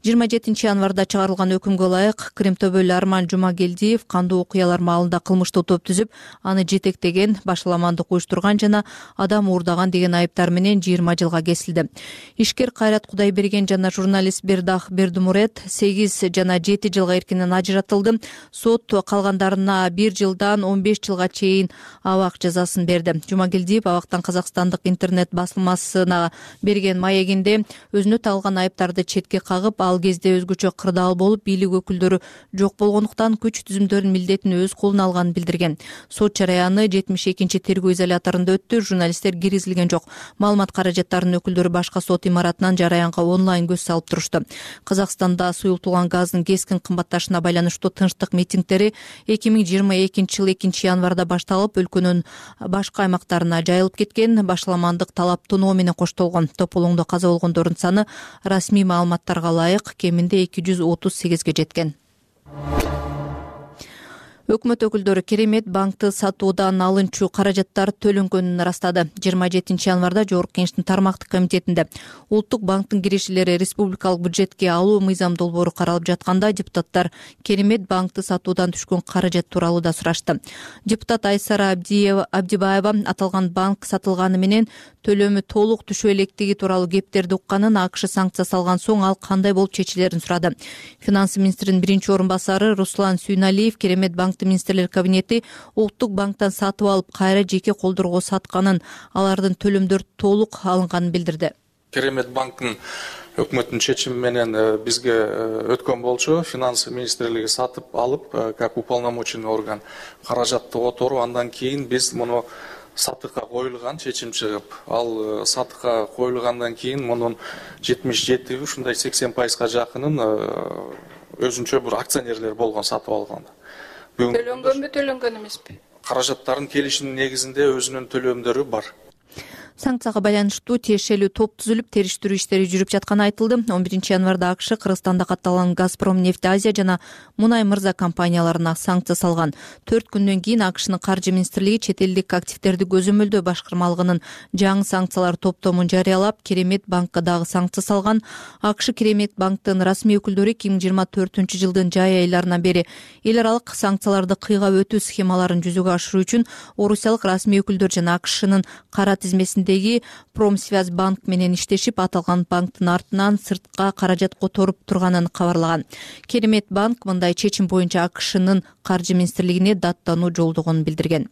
жыйырма жетинчи январда чыгарылган өкүмгө ылайык Кримтөбөл Арман Жумагелдиев кандуу окуялар маалында кылмыштуу топ түзүп, аны жетектеген, башаламандык уюштурган жана адам уурдаган деген айыптар менен жыйырма жылга кесилди. Ишкер Кайрат Кудайберген жана журналист Бердах Бердумурет сегиз жана жети жылга эркинен ажыратылды. Сот калгандарына бир жылдан он беш жылга чейин абак жазасын берди. Жумагелдиев абактан Казакстандык интернет басылмасына берген маегинде өзүнө тагылган айыптарды четке кагып, ал кезде өзгөчө кырдаал болуп, бийлик өкүлдөрү жок болгондуктан күч түзүмдөрүнүн милдетин өз колуна алганын билдирген. Сот жараяны жетимиш экинчи тергөө изоляторунда өттү. Журналисттер киргизилген жок. Маалымат каражаттарынын өкүлдөрү башка сот имаратынан жараянга онлайн көз салып турушту. Казакстанда суюлтулган газдын кескин кымбатташына байланыштуу тынчтык митингдери эки миң жыйырма экинчи жылы экинчи январда башталып, өлкөнүн башка аймактарына жайылып кеткен. Башаламандык талап тоноо менен коштолгон. Тополоңдо каза болгондордун саны расмий маалыматтарга ылайык кеминде эки жүз отуз сегизге жеткен. Өкмөт өкүлдөрү Керемет банкты сатуудан алынчу каражаттар төлөнгөнүн ырастады. жыйырма жетинчи январда Жогорку Кеңештин тармактык комитетинде Улуттук банктын кирешелери республикалык бюджетке алуу мыйзам долбоору каралып жатканда депутаттар Керемет банкты сатуудан түшкөн каражат тууралуу да сурашты. Депутат Айсара Абдибаева аталган банк сатылганы менен төлөмү толук түшө электиги тууралуу кептерди укканын, АКШ санкция салган соң ал кандай болуп чечилерин сурады. Финансы министринин биринчи орун басары Руслан Сүйналиев Керемет банк министрлер кабинети Улуттук банктан сатып алып, кайра жеке колдорго сатканын, алардын төлөмдөрү толук алынганын билдирди. Керемет банктын өкмөттүн чечими менен бизге өткөн болчу. Финансы министрлиги сатып алып, как уполномоченный орган каражатты которуу, андан кийин биз муну сатыкка коюлган чечим чыгып, ал сатыкка коюлгандан кийин мунун жетимиш жети, ушундай сексен пайызга жакынын өзүнчө бир акционерлер болгон сатып алганда. Төлөнгөнбү, төлөнгөн эмеспи? Каражаттардын келишимдин негизинде өзүнүн төлөмдөрү бар. Санкцияга байланыштуу тиешелүү топ түзүлүп, териштирүү иштери жүрүп жатканы айтылды. он биринчи январда АКШ Кыргызстанда катталган Газпром нефть Азия жана Мунай Мырза компанияларына санкция салган. төрт күндөн кийин АКШнын каржы министрлиги чет элдик активдерди көзөмөлдөө башкармалыгынын жаңы санкциялар топтомун жарыялап, Керемет банкка дагы санкция салган. АКШ Керемет банктын расмий өкүлдөрү эки миң жыйырма төртүнчү жылдын жай айларынан бери эл аралык санкцияларды кыйгап өтүү схемаларын жүзөгө ашыруу үчүн орусиялык расмий өкүлдөр жана АКШнын кара тизмесиндеги Промсвязь банк менен иштешип, аталган банктын артынан сыртка каражат которуп турганын кабарлаган. Керемет банк мындай чечим боюнча АКШнын каржы министрлигине даттануу жолдогонун билдирген.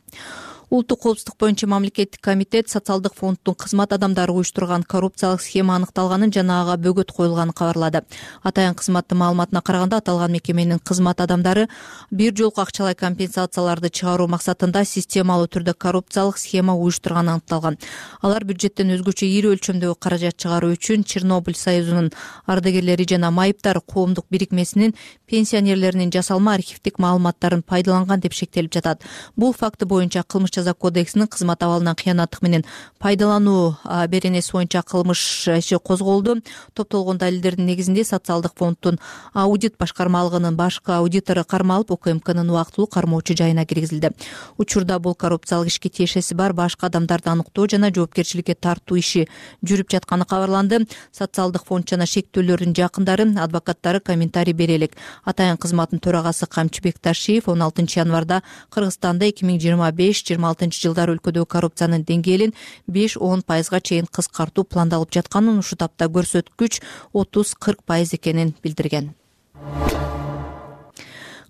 Улуттук коопсуздук боюнча мамлекеттик комитет социалдык фонддун кызмат адамдары уюштурган коррупциялык схема аныкталганын жана ага бөгөт коюлганын кабарлады. Атайын кызматтын маалыматына караганда, аталган мекеменин кызмат адамдары бир жолку акчалай компенсацияларды чыгаруу максатында системалуу түрдө коррупциялык схема уюштурганы аныкталган. Алар бюджеттен өзгөчө ири өлчөмдөгү каражат чыгаруу үчүн Чернобыль союзунун ардагерлери жана майыптар коомдук бирикмесинин пенсионерлеринин жасалма архивдик маалыматтарын пайдаланган деп шектелип жатат. Бул факты боюнча кылмыш жаза кодексинин кызмат абалынан кыянаттык менен пайдалануу беренеси боюнча кылмыш иши козголду. Топтолгон далилдердин негизинде социалдык фонддун аудит башкармалыгынын башкы аудитору кармалып, УКМКнын убактылуу кармоочу жайына киргизилди. Учурда бул коррупциялык ишке тиешеси бар башка адамдарды аныктоо жана жоопкерчиликке тартуу иши жүрүп жатканы кабарланды. Социалдык фонд жана шектүүлөрдүн жакындары, адвокаттары комментарий бере элек. Атайын кызматтын төрагасы Камчыбек Ташиев он алтынчы январда Кыргызстанда эки миң жыйырма беш жыйырма алтынчы жылдары өлкөдөгү коррупциянын деңгээлин беш он пайызга чейин кыскартуу пландалып жатканын, ушул тапта көрсөткүч отуз кырк пайыз экенин билдирген.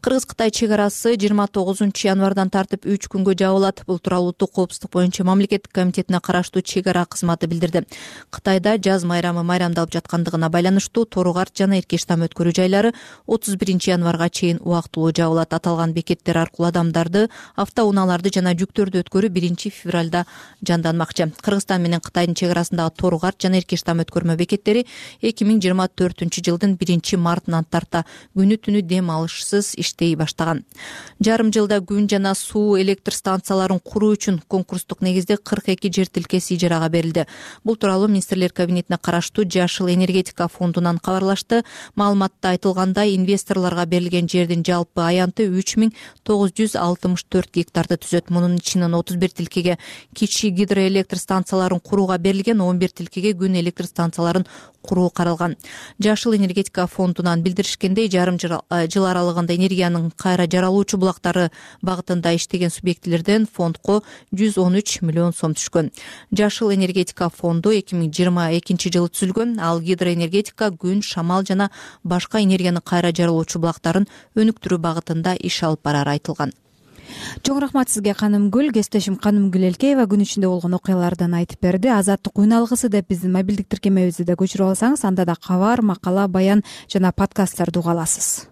Кыргыз-Кытай чек арасы жыйырма тогузунчу январдан тартып үч күнгө жабылат. Бул тууралуу Улуттук коопсуздук боюнча мамлекеттик комитетине караштуу чек ара кызматы билдирди. Кытайда жаз майрамы майрамдалып жаткандыгына байланыштуу Торугарт жана Эркештам өткөрүү жайлары отуз биринчи январга чейин убактылуу жабылат. Аталган бекеттер аркылуу адамдарды, автоунааларды жана жүктөрдү өткөрүү биринчи февралда жанданмакчы. Кыргызстан менен Кытайдын чек арасындагы Торугарт жана Эркештам өткөрмө бекеттери эки миң жыйырма төртүнчү жылдын биринчи мартынан тарта күнү түнү дем алышсыз иштей баштаган. Жарым жылда күн жана суу электр станцияларын куруу үчүн конкурстук негизде кырк эки жер тилкеси ижарага берилди. Бул тууралуу министрлер кабинетине караштуу Жашыл энергетика фондунан кабарлашты. Маалыматта айтылгандай, инвесторлорго берилген жердин жалпы аянты үч миң тогуз жүз алтымыш төрт гектарды түзөт. Мунун ичинен отуз бир тилкеге кичи гидроэлектр станцияларын курууга берилген, он бир тилкеге күн электр станцияларын куруу каралган. Жашыл энергетика фондунан билдиришкендей, жарым жыл аралыгында энергиянын кайра жаралуучу булактары багытында иштеген субъектилерден фондко жүз он үч миллион сом түшкөн. Жашыл энергетика фонду эки миң жыйырма экинчи жылы түзүлгөн. Ал гидроэнергетика, күн, шамал жана башка энергияны кайра жаралуучу булактарын өнүктүрүү багытында иш алып барары айтылган. Чоң рахмат сизге, Канымгүл. Кесиптешим Канымгүл Элкеева күн ичинде болгон окуялардан айтып берди. Азаттык үн алгысы деп биздин мобилдик тиркемебизди да көчүрүп алсаңыз, анда да кабар, макала, баян жана подкасттарды уга аласыз.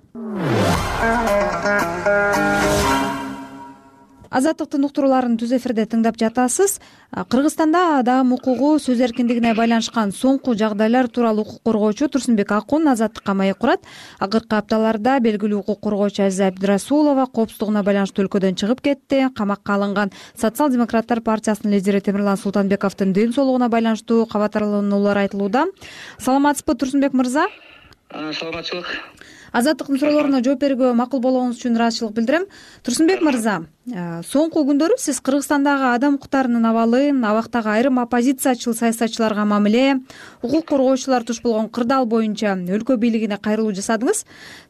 Азаттыктын уктурууларын түз эфирде тыңдап жатасыз. Кыргызстанда адам укугу, сөз эркиндигине байланышкан соңку жагдайлар тууралуу укук коргоочу Турсунбек Акун Азаттыкка маек курат. Акыркы апталарда белгилүү укук коргоочу Азиза Абдрасулова коопсуздугуна байланыштуу өлкөдөн чыгып кетти. Камакка алынган Социал-демократтар партиясынын лидери Темирлан Султанбековдун ден соолугуна байланыштуу кабатарлануулар айтылууда. Саламатсызбы, Турсунбек мырза? Саламатчылык. Азаттыктын суроолоруна жооп берүүгө макул болгонуңуз үчүн ыраазычылык билдирем. Турсунбек мырза, соңку күндөрү сиз Кыргызстандагы адам укуктарынын абалын, абактагы айрым оппозициячыл саясатчыларга мамиле, укук коргоочулар туш болгон кырдаал боюнча өлкө бийлигине кайрылуу жасадыңыз.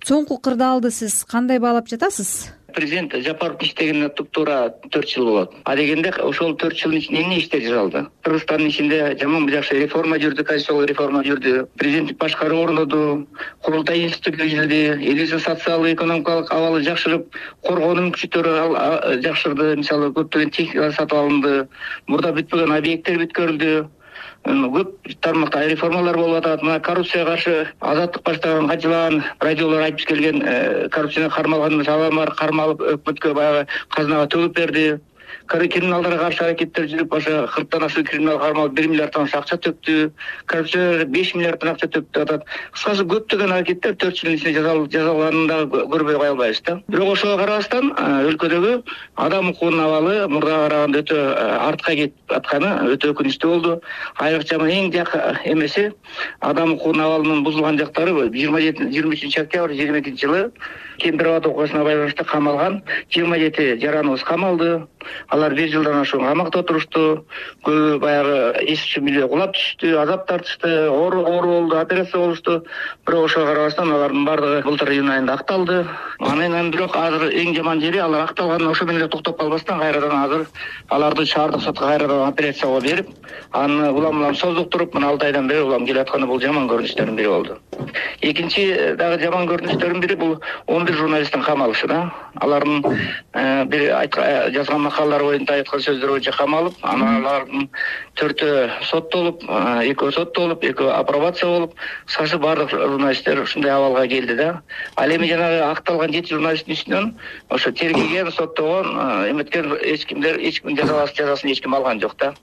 Соңку кырдаалды сиз кандай баалап жатасыз? Президент Жапаровдун иштегенине туп-туура төрт жыл болот. А дегенде ошол төрт жылдын ичинде эмне иштер жасалды? Кыргызстандын ичинде жаман жакшы реформа жүрдү, конституциялык реформа жүрдү, президенттик башкаруу орноду, курултай институту киргизилди, элибиздин социалдык экономикалык абалы жакшырып, коргоонун мүмкүнчүлүктөрү жакшырды, мисалы көптөгөн техникалар сатып алынды, мурда бүтпөгөн объекттер бүткөрүлдү. Көп тармакта реформалар болуп атат. Мына коррупцияга каршы Азаттык баштаган качылаган радиолор айтып келген коррупцияны кармалган саламар кармалып өкмөткө баягы казынага төгүп берди. криминалдарга каршы аракеттер жүрүп ошо кырктан ашуун криминалдык кармалып бир миллиарддан ашуун акча төктү, коррупциялар беш миллиарддан акча төктү атат. Кыскасы көптөгөн аракеттер төрт жылдын ичинде жазаланганын дагы көрбөй кое албайбыз да. Бирок ошого карабастан өлкөдөгү адам укугунун абалы мурдага караганда өтө артка кетип атканы өтө өкүнүчтүү болду. Айрыкча эң жакын эмеси адам укугунун абалынын бузулган жактары жыйырма жети жыйырма үчүнчү октябрь жыйырма экинчи жылы Кемпир Абад окуусуна байланыштуу камалган жыйырма жети жараныбыз камалды. Алар бир жылдан ашуун камакта отурушту. Көбү баягы эс түшүмүлө кулап түштү, азап тартышты, оору оору болду, операция болушту. Бирок ошого карабастан алардын бардыгы былтыр июнь айында акталды. Анан бирок азыр эң жаман жери алар акталганын ошо менен эле токтоп калбастан кайрадан азыр аларды шаардык сотко кайрадан операцияга берип, аны улам улам создуктуруп, мына алты айдан бери улам келатканы бул жаман көрүнүштөрдүн бири болду. Экинчи дагы жаман көрүнүштөрдүн бири бул он бир журналисттин камалышы да. Алардын бир жазган макалалары боюнча айткан сөздөр боюнча камалып, анан алардын төртөө соттолуп, экөө соттолуп, экөө апробация болуп, кыскасы бардык журналисттер ушундай абалга келди да. Ал эми жанагы акталган жети журналисттин үстүнөн ошо тергеген, соттогон, эметкен эч кимдер эч ким жазасын эч ким алган жок да.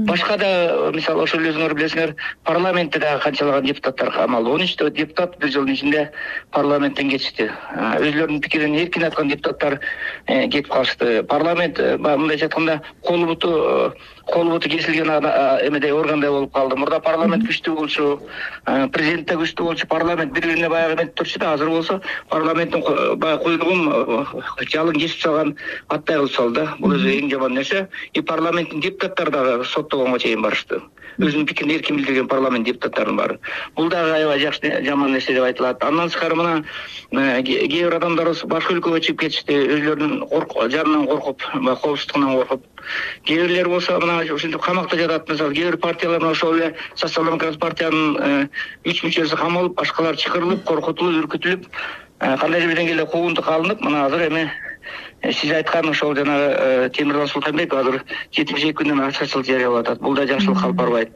Башка да мисалы ошол өзүңөр билесиңер, парламентте дагы канчалаган депутаттар камалды. он үчтө депутат бир жылдын ичинде парламенттен кетишти. Өзүлөрүнүн пикирин эркин айткан депутаттар кетип калышты. Парламент мындайча айтканда колу буту колу буту кесилген эмедей органдай болуп калды. Мурда парламент күчтүү болчу, президент да күчтүү болчу, парламент бири-бирине баягы эметип турчу да. Азыр болсо парламенттин баягы куйругун жалын кесип салган аттай кылып салды да. Бул өзү эң жаман нерсе. И парламенттин депутаттары дагы соттогонго чейин барышты. Өзүнүн пикирин эркин билдирген парламент депутаттарынын баары. Бул дагы аябай жакшы жаман нерсе деп айтылат. Андан тышкары мына кээ бир адамдарыбыз башка өлкөгө чыгып кетишти, өзүлөрүнүн жанынан коркуп, коопсуздугунан коркуп. Кээ бирлер болсо мына ушинтип камакта жатат. Мисалы кээ бир партиялар ошол эле социал-демократ партиянын үч мүчөсү камалып, башкалар чакырылып, коркутулуп, үркүтүлүп, кандайдыр бир деңгээлде куугунтук алынып, мына азыр эми сиз айткан ошол жанагы Темиртау Султанбеков азыр жетимиш эки күндөн ачкычылык жарыялап атат. Бул да жакшылыкка алып барбайт.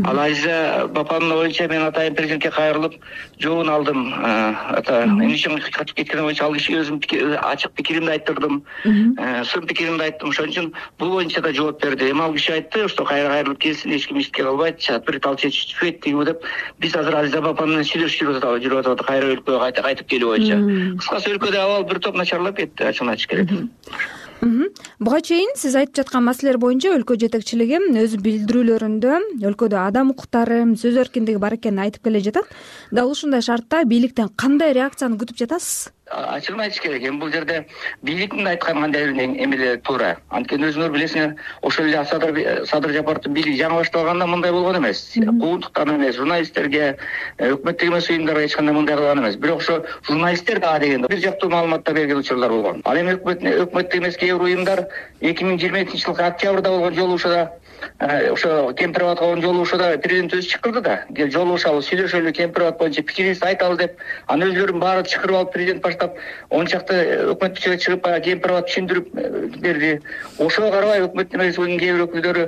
Ал Азиза Бапанын боюнча мен атайын президентке кайрылып жообун алдым. Ата эмне үчүн качып кеткени боюнча ал кишиге өзүм ачык пикиримди айттырдым. Сын пикиримди айттым. Ошон үчүн бул боюнча да жооп берди. Эми ал киши айтты, что кайра кайрылып келсин, эч ким эчтеке кылбайт, бир тал чечип түшпөйт деп. Биз азыр Азиза Бапан менен сүйлөшүп жүрүп атабыз, кайра өлкөгө кайтып келүү боюнча. Кыскасы өлкөдө абал бир топ начарлап кетти, ачыгын айтыш керек. Буга чейин сиз айтып жаткан маселелер боюнча өлкө жетекчилиги өз билдирүүлөрүндө өлкөдө адам укуктары, сөз эркиндиги бар экенин айтып келе жатат. Дал ушундай шартта бийликтен кандай реакцияны күтүп жатасыз? Ачыгын айтыш керек. Эми бул жерде бийликтин айткан кандайдыр эмелери туура. Анткени өзүңөр билесиңер, ошол эле Садыр Садыр Жапаровдун бийлиги жаңы башталганда мындай болгон эмес. Куугунтуктан эмес, журналисттерге, өкмөттүк эмес уюмдарга эч кандай мындай кылган эмес. Бирок ошо журналисттер дагы дегенде бир жактуу маалыматтар берген учурлар болгон. Ал эми өкмөттүк эмес кээ бир уюмдар эки миң жыйырма экинчи жылкы октябрда болгон жолугушууда ошо Кемпир Абадга болгон жолугушууда президент өзү чакырды да. Кел жолугушалы, сүйлөшөлү, Кемпир Абад боюнча пикирибизди айталы деп. Анын өзүлөрүн баары чакырып алып президент баштап он чакты өкмөт мүчөлөр чыгып Кемпир Абад түшүндүрүп берди. Ошого карабай өкмөттүн эмес уюмдун кээ бир өкүлдөрү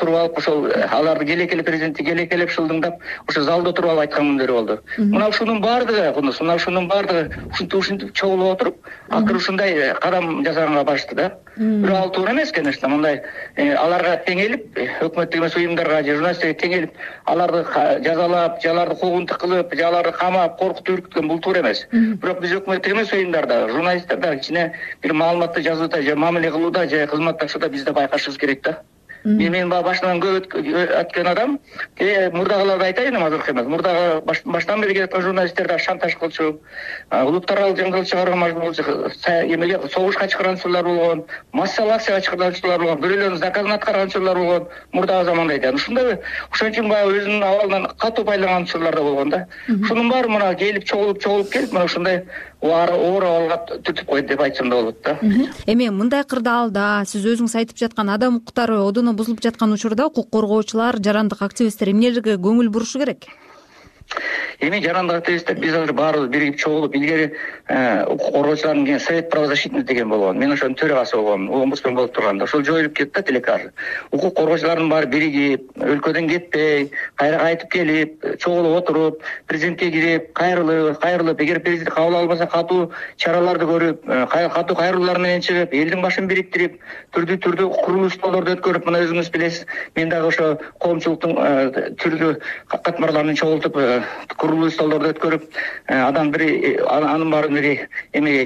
туруп алып ошол аларды келекеле президентти келекелеп шылдыңдап ошо залда туруп алып айткан күндөрү болду. Мына ушунун баардыгы, мына ушунун баардыгы ушинтип ушинтип чогулуп отуруп, акыры ушундай кадам жасаганга барышты да. Бирок ал туура эмес, конечно, мындай аларга теңелип, өкмөттүк эмес уюмдарга же журналисттерге теңелип, аларды жазалап, же аларды куугунтук кылып, же аларды камап, коркутуп үркүткөн бул туура эмес. Бирок биз өкмөттүк эмес уюмдарда, журналисттерде кичине бир маалыматты жазууда же мамиле кылууда же кызматташууда биз да байкашыбыз керек да. Мен башынан көп өткөн адам, мурдагыларды айтайын, азыркы эмес. Мурдагы баштан бери келаткан журналисттер да шантаж кылчу, улуттаралык жаңгырык чыгарууга мажбур болчу, эмеге согушка чакырган учурлар болгон, массалык акцияга чакырган учурлар болгон, бирөөлөрдүн заказын аткарган учурлар болгон, мурдагы заманда айтат. Ушундай ошон үчүн баягы өзүнүн абалынан катуу пайдаланган учурлар да болгон да. Ушунун баары мына келип чогулуп чогулуп келип, мына ушундай оор абалга түртүп койду деп айтсам да болот да. Эми мындай кырдаалда сиз өзүңүз айтып жаткан адам укуктары одоно бузулуп жаткан учурда укук коргоочулар, жарандык активисттер эмнелерге көңүл бурушу керек? эми жарандык активисттер биз азыр баарыбыз биригип чогулуп, илгери укук коргоочулардын совет правозащитник деген болгон, мен ошонун төрагасы болгом, омбудсмен болуп турганда ошол жоюлуп кетти да телекар. Укук коргоочулардын баары биригип, өлкөдөн кетпей, кайра кайтып келип, чогулуп отуруп, президентке кирип, кайрылып, кайрылып, эгер президент кабыл албаса катуу чараларды көрүп, катуу кайрылуулар менен чыгып, элдин башын бириктирип, түрдүү түрдүү курулуш исторду өткөрүп, мына өзүңүз билесиз, мен дагы ошо коомчулуктун түрдүү катмарларын чогултуп, курулуш исторлорду өткөрүп, адам бир анын баарын бир эмеге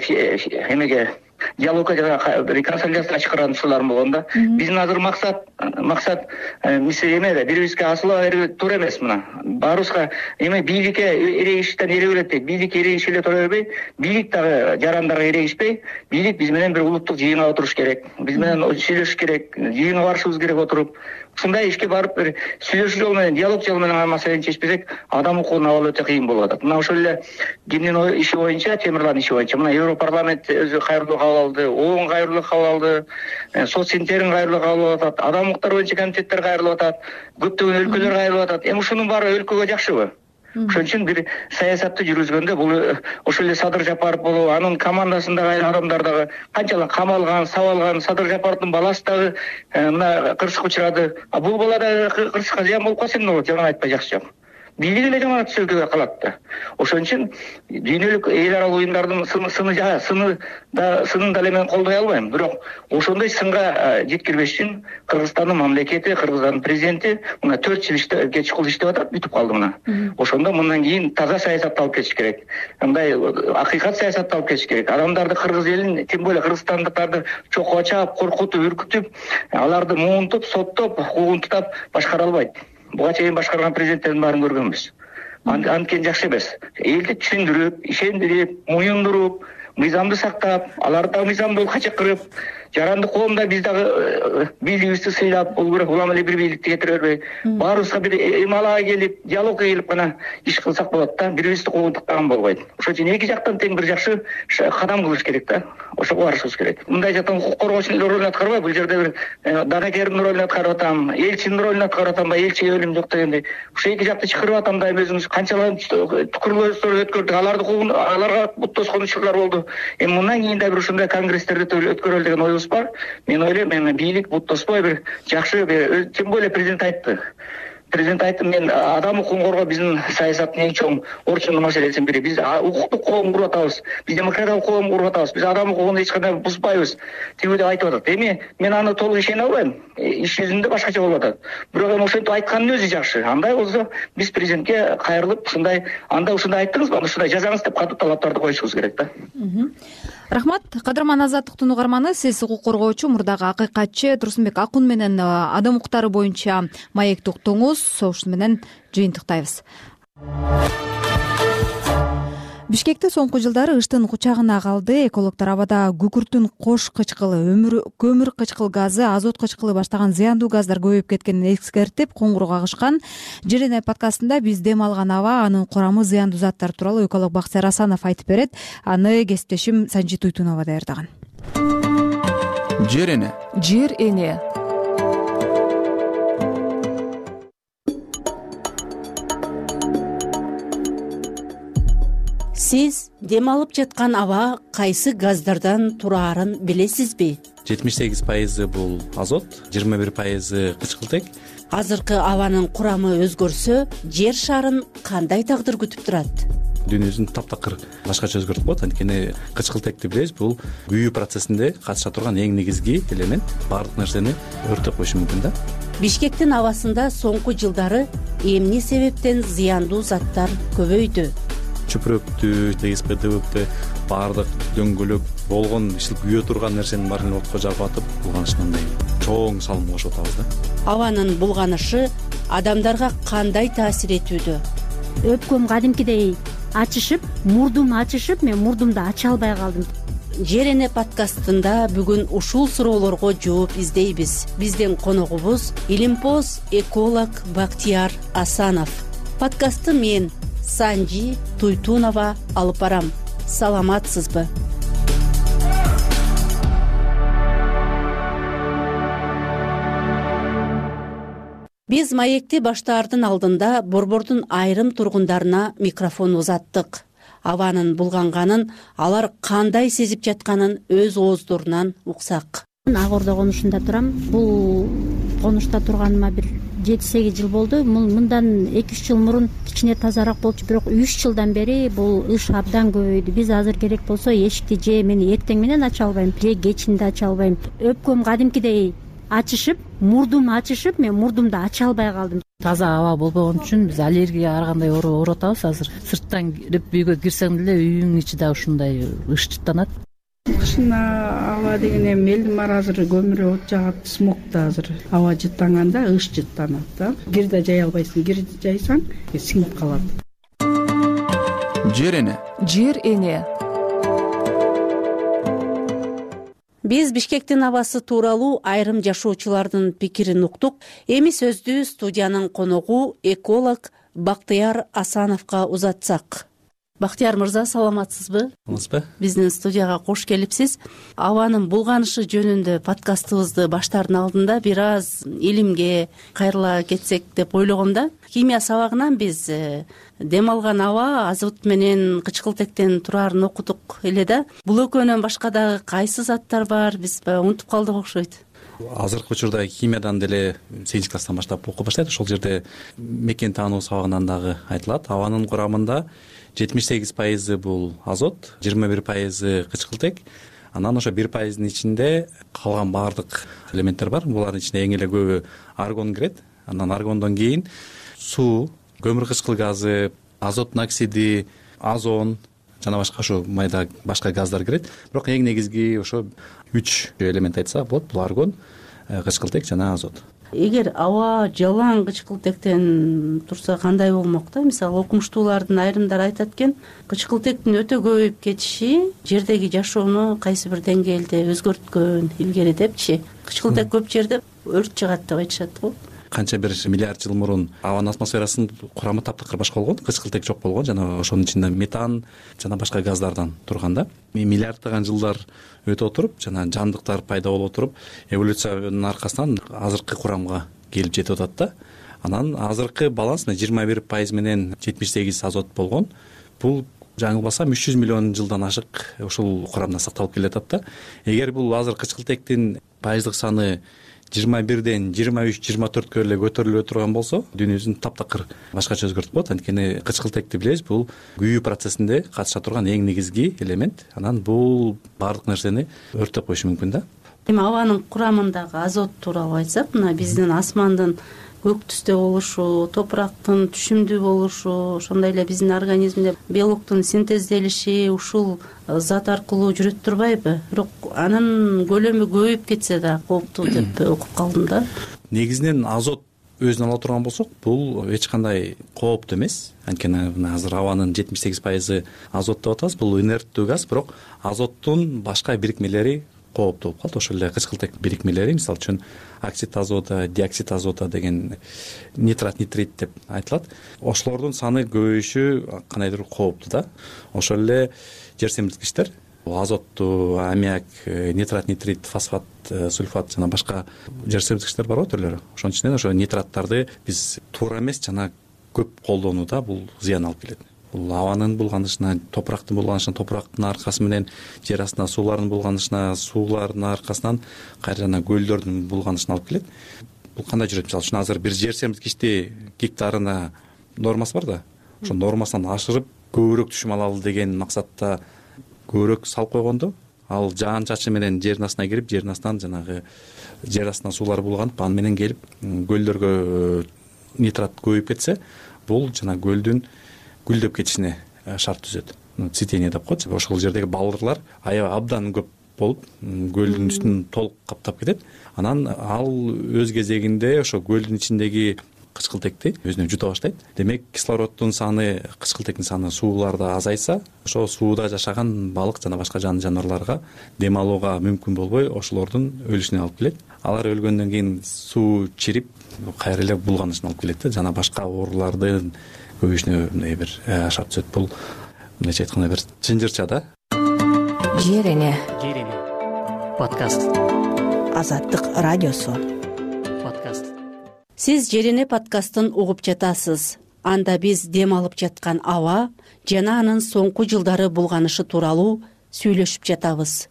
эмеге диалогко жана консолидацияга чакырган ушуларым болгон да. Биздин азыр максат максат мисиз эме бирибизге асылып берүү туура эмес. Мына баарыбызга эме бийликке эрегиштен эребилет дейт. Бийликке эрегишип эле тура бербей, бийлик дагы жарандарга эрегишпей, бийлик биз менен бир улуттук жыйынга отуруш керек. Биз менен сүйлөшүш керек, жыйынга барышыбыз керек отуруп. Ушундай ишке барып бир сүйлөшүү жолу менен, диалог жолу менен маселени чечпесек, адам укугун алуу өтө кыйын болуп атат. Мына ошол эле кимдин иши боюнча, Темирландын иши боюнча, мына Европарламент өзү кайрылуу кабыл алды, ООН кайрылуу кабыл алды, соцсинтерин кайрылуу кабыл алып атат, адам укуктары боюнча комитеттер кайрылып атат, көптөгөн өлкөлөр кайрылып атат. Эми ушунун баары өлкөгө жакшыбы? Ошон үчүн бир саясатты жүргүзгөндө бул ошол эле Садыр Жапаров болуп, анын командасындагы адамдар дагы канчалык камалган, сабалган, Садыр Жапаровдун баласы дагы мына кырсыкка учурады. А бул бала дагы кырсыкка зыян болуп калса эмне болот? Жаман айтпай жакшы жок. Бийлик эле жаман өлкөгө калат да. Ошон үчүн дүйнөлүк эл аралык уюмдардын сыны сыны сыны да сынын дале мен колдой албайм. Бирок ошондой сынга жеткирбеш үчүн Кыргызстандын мамлекети, Кыргызстандын президенти мына төрт жыл иштеп, чукул иштеп атат, бүтүп калды мына. Ошондо мындан кийин таза саясатты алып кетиш керек. Мындай акыйкат саясатты алып кетиш керек. Адамдарды, кыргыз элин, тем более кыргызстандыктарды чокко чаап, коркутуп, үркүтүп, аларды муунтуп, соттоп, хукугун тутап башкара албайт. Буга чейин башкарган президенттердин баарын көргөнбүз. Анткени жакшы эмес. Элди түшүндүрүп, ишендирип, моюндуруп, мыйзамды сактап, аларды мыйзамдуу чакырып, жарандык коомдо биз дагы бийлигибизди сыйлап, бул бирок улам эле бир бийликти кетире бербей, баарыбызга бир эмалага келип, диалогко келип гана иш кылсак болот да, бирибизди куугунтуктаган болбойт. Ошон үчүн эки жактан тең бир жакшы кадам кылыш керек да. Ошого барышыбыз керек. Мындай жактан укук коргоочунун ролун аткарбай, бул жерде бир данакердин ролун аткарып атам, элчинин ролун аткарып атам, элчиге өлүм жок дегендей. Ошо эки жакты чакырып атам да, өзүңүз канчалык курулуштар өткөрдүк, аларды куугун, аларга бут тоскон учурлар болду. Эми мындан кийин да бир ушундай конгресстерди өткөрөлү деген оюбуз бар. Мен ойлойм, эми бийлик бут тоспой бир жакшы, тем более президент айтты. Президент айтты, мен адам укугун коргоо биздин саясаттын эң чоң орчундуу маселесинин бири. Биз укуктук коом куруп атабыз, биз демократиялык коом куруп атабыз, биз адам укугун эч кандай бузбайбыз. Тигүү деп айтып атат. Эми мен аны толук ишене албайм. Иш жүзүндө башкача болуп атат. Бирок эми ошентип айткандын өзү жакшы. Андай болсо биз президентке кайрылып, ушундай, анда ушундай айттыңызбы, ушундай жазаңыз деп катуу талаптарды коюшубуз керек да. Рахмат. Кадырман Азаттыктын угарманы, сиз укук коргоочу, мурдагы акыйкатчы Турсунбек Акун менен адам укуктары боюнча маекти уктуңуз. Ошону менен жыйынтыктайбыз. Бишкекте соңку жылдары ыштын кучагына калды. Экологдор абада күкүрттүн кош кычкылы, көмүр кычкыл газы, азот кычкылы баштаган зыяндуу газдар көбөйүп кеткенин эскертип, коңгуроо кагышкан. Жерене подкастында биз дем алган аба, анын курамы, зыяндуу заттар тууралуу эколог Баксер Асанов айтып берет. Аны кесиптешим Санжи Туйтунова даярдаган. Жер эне. Жер эне. Сиз дем алып жаткан аба кайсы газдардан тураарын билесизби? жетимиш сегиз пайызы бул азот, жыйырма бир пайызы кычкылтек. Азыркы абанын курамы өзгөрсө, жер шарын кандай тагдыр күтүп турат? Дүйнөбүздүн таптакыр башкача өзгөртүп коет. Анткени кычкылтекти билебиз, бул күйүү процессинде катыша турган эң негизги элемент. Баардык нерсени өрттөп коюшу мүмкүн да. Бишкектин абасында соңку жылдары эмне себептен зыяндуу заттар көбөйдү? Чүпүрөктү, ТСП, ДВП баардык дөңгөлөк болгон ишил күйө турган нерсенин баарын отко жагып атып, булганышындай чоң салым кошуп атабыз да. Абанын булганышы адамдарга кандай таасир этүүдө? Өпкөм кадимкидей ачышып, мурдум ачышып, мен мурдумду ача албай калдым. Жер эне подкастында бүгүн ушул суроолорго жооп издейбиз. Биздин коногубуз илимпоз эколог Бактияр Асанов. Подкастты мен Санжи Туйтунова алып барам. Саламатсызбы? Биз маекти баштаардын алдында борбордун айрым тургундарына микрофон узаттык. Абанын булганганын, алар кандай сезип жатканын өз ооздорунан уксак. Ак Ордо конушунда турам. Бул конушта турганыма бир жети сегиз жыл болду. Мындан эки үч жыл мурун кичине тазараак болчу, бирок үч жылдан бери бул ыш абдан көбөйдү. Биз азыр керек болсо эшикти же мен эртең менен ача албайм, же кечинде ача албайм. Өпкөм кадимкидей ачышып, мурдум ачышып, мен мурдумду ача албай калдым. Таза аба болбогон үчүн биз аллергия ар кандай ооруп атабыз азыр. Сырттан кирип үйгө кирсең деле үйүңдүн ичи да ушундай ышчыттанат. Кышын аба деген эми элдин баары азыр көмүр от жагат, смог да азыр аба жыттанганда ыш жыттанат да. Кир да жай албайсың, кир жайсаң сиңип калат. Жер эне. Жер эне. Биз Бишкектин абасы тууралуу айрым жашоочулардын пикирин уктук. Эми сөздү студиянын коногу эколог Бактыяр Асановго узатсак. Бактыяр мырза, саламатсызбы? Саламатсызбы? Биздин студияга кош келипсиз. Абанын булганышы жөнүндө подкастыбызды баштаардын алдында бир аз илимге кайрыла кетсек деп ойлогом да. Химия сабагынан биз дем алган аба азот менен кычкылтектен турарын окудук эле да. Бул экөөнөн башка дагы кайсы заттар бар, биз унутуп калдык окшойт. Азыркы учурда химиядан деле сегизинчи класстан баштап окуп баштайт. Ошол жерде мекен таануу сабагынан дагы айтылат. Абанын курамында жетимиш сегиз пайызы бул азот, жыйырма бир пайызы кычкылтек. Анан ошо бир пайыздын ичинде калган баардык элементтер бар. Булардын ичинде эң эле көбү аргон кирет. Анан аргондон кийин суу, көмүр кычкыл газы, азоттун оксиди, озон жана башка ошо майда башка газдар кирет. Бирок эң негизги ошо үч элемент айтсак болот. Бул аргон, кычкылтек жана азот. Эгер аба жалаң кычкылтектен турса кандай болмок да? Мисалы окумуштуулардын айрымдары айтат экен, кычкылтектин өтө көбөйүп кетиши жердеги жашоону кайсы бир деңгээлде өзгөрткөн илгери депчи. Кычкылтек көп жерде өрт чыгат деп айтышат го. Канча бир миллиард жыл мурун абанын атмосферасынын курамы таптакыр башка болгон, кычкылтек жок болгон, жана ошонун ичинде метан жана башка газдардан турган да. Миллиарддаган жылдар өтө отуруп, жана жандыктар пайда болуп отуруп, эволюциянын аркасынан азыркы курамга келип жетип атат да. Анан азыркы баланс жыйырма бир пайыз менен жетимиш сегиз азот болгон. Бул жаңылбасам үч жүз миллион жылдан ашык ушул курамда сакталып келатат да. Эгер бул азыр кычкылтектин пайыздык саны жыйырма бирден жыйырма үч жыйырма төрткө эле көтөрүлө турган болсо, дүйнөбүздүн таптакыр башкача өзгөртүп болот. Анткени кычкылтекти билебиз, бул күйүү процессинде катыша турган эң негизги элемент. Анан бул баардык нерсени өрттөп коюшу мүмкүн да. Эми абанын курамындагы азот тууралуу айтсак, мына биздин асмандын көк түстө болушу, топурактын түшүмдүү болушу, ошондой эле биздин организмде белоктун синтезделиши ушул зат аркылуу жүрөт турбайбы? Бирок анын көлөмү көбөйүп кетсе да кооптуу деп окуп калдым да. Негизинен азот өзүн ала турган болсок, бул эч кандай кооптуу эмес. Анткени азыр абанын жетимиш сегиз пайызы азот деп атабыз. Бул инерттүү газ, бирок азоттун башка бирикмелери кооптуу болуп калат. Ошол эле кычкылтек бирикмелери, мисалы үчүн оксид азота, диоксид азота деген нитрат, нитрит деп айтылат. Ошолордун саны көбөйүшү кандайдыр кооптуу да. Ошол эле жер семирткичтер, азотту, аммиак, нитрат, нитрит, фосфат, сульфат жана башка жер семирткичтер бар го түрлөрү. Ошонун ичинен ошо нитраттарды биз туура эмес жана көп колдонууда бул зыян алып келет. Бул абанын булганышына, топурактын булганышына, топурактын аркасы менен жер астына суулардын булганышына, суулардын аркасынан кайра жана көлдөрдүн булганышына алып келет. Бул кандай жүрөт? Мисалы үчүн азыр бир жер семирткичти гектарына нормасы бар да. Ошо нормасынан ашырып көбүрөөк түшүм алалы деген максатта көбүрөөк салып койгондо, ал жаан чачы менен жердин астына кирип, жердин астынан жанагы жер астынан суулар булганып, аны менен келип көлдөргө нитрат көбөйүп кетсе, бул жана көлдүн гүлдөп кетишине шарт түзөт. Цветение деп коет. Ошол жердеги балдырлар аябай абдан көп болуп, көлдүн үстүн толук каптап кетет. Анан ал өз кезегинде ошо көлдүн ичиндеги кычкылтекти өзүнө жута баштайт. Демек, кислороддун саны, кычкылтектин саны сууларда азайса, ошо сууда жашаган балык жана башка жан жаныбарларга дем алууга мүмкүн болбой, ошолордун өлүшүнө алып келет. Алар өлгөндөн кийин суу чирип, кайра эле булганышына алып келет жана башка оорулардын көбөйүшүнө мындай бир шарт түзөт. Бул мындайча айтканда бир чынжырча да. Жер эне. Жер эне. Подкаст. Азаттык радиосу. Подкаст. Сиз Жерене подкастын угуп жатасыз. Анда биз дем алып жаткан аба жана анын соңку жылдары булганышы тууралуу сүйлөшүп жатабыз.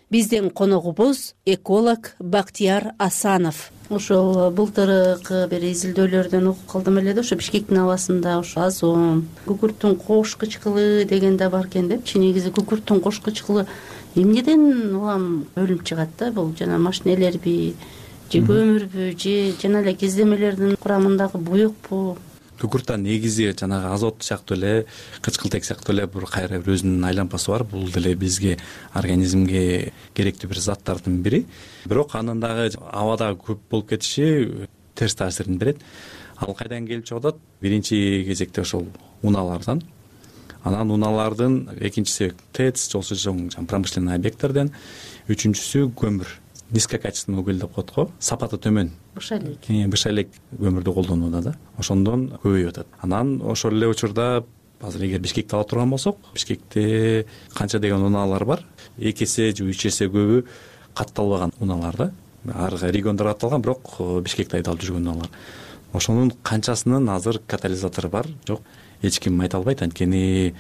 Биздин коногубуз эколог Бактияр Асанов. Ошол былтыркы бир изилдөөлөрдөн окуп калдым эле да, ошо Бишкектин абасында ошо озон, күкүрттүн кош кычкылы деген да бар экен депчи. Негизи күкүрттүн кош кычкылы эмнеден улам өлүм чыгат да? Бул жана машинелерби же көмүрбү же жана эле кездемелердин курамындагы буюкпу? Күкүрттан негизи жанагы азот сыяктуу эле, кычкылтек сыяктуу эле бир кайра бир өзүнүн айлампасы бар. Бул деле бизге, организмге керектүү бир заттардын бири. Бирок анын дагы абада көп болуп кетиши терс таасирин берет. Ал кайдан келип чыгып атат? Биринчи кезекте ошол унаалардан. Анан унаалардын экинчиси ТЭЦ, жолсу чоң промышленный объекттерден, үчүнчүсү көмүр. Низкокачественный уголь деп коет го, сапаты төмөн. Быша элек. Быша элек көмүрдү колдонууда да. Ошондон көбөйүп атат. Анан ошол эле учурда азыр эгер Бишкекти ала турган болсок, Бишкекте канча деген унаалар бар? эки эсе же үч эсе көбү катталбаган унаалар да. Ар региондор катталган, бирок Бишкекте айдалып жүргөн унаалар. Ошонун канчасынын азыр катализатору бар? Жок, эч ким айта албайт. Анткени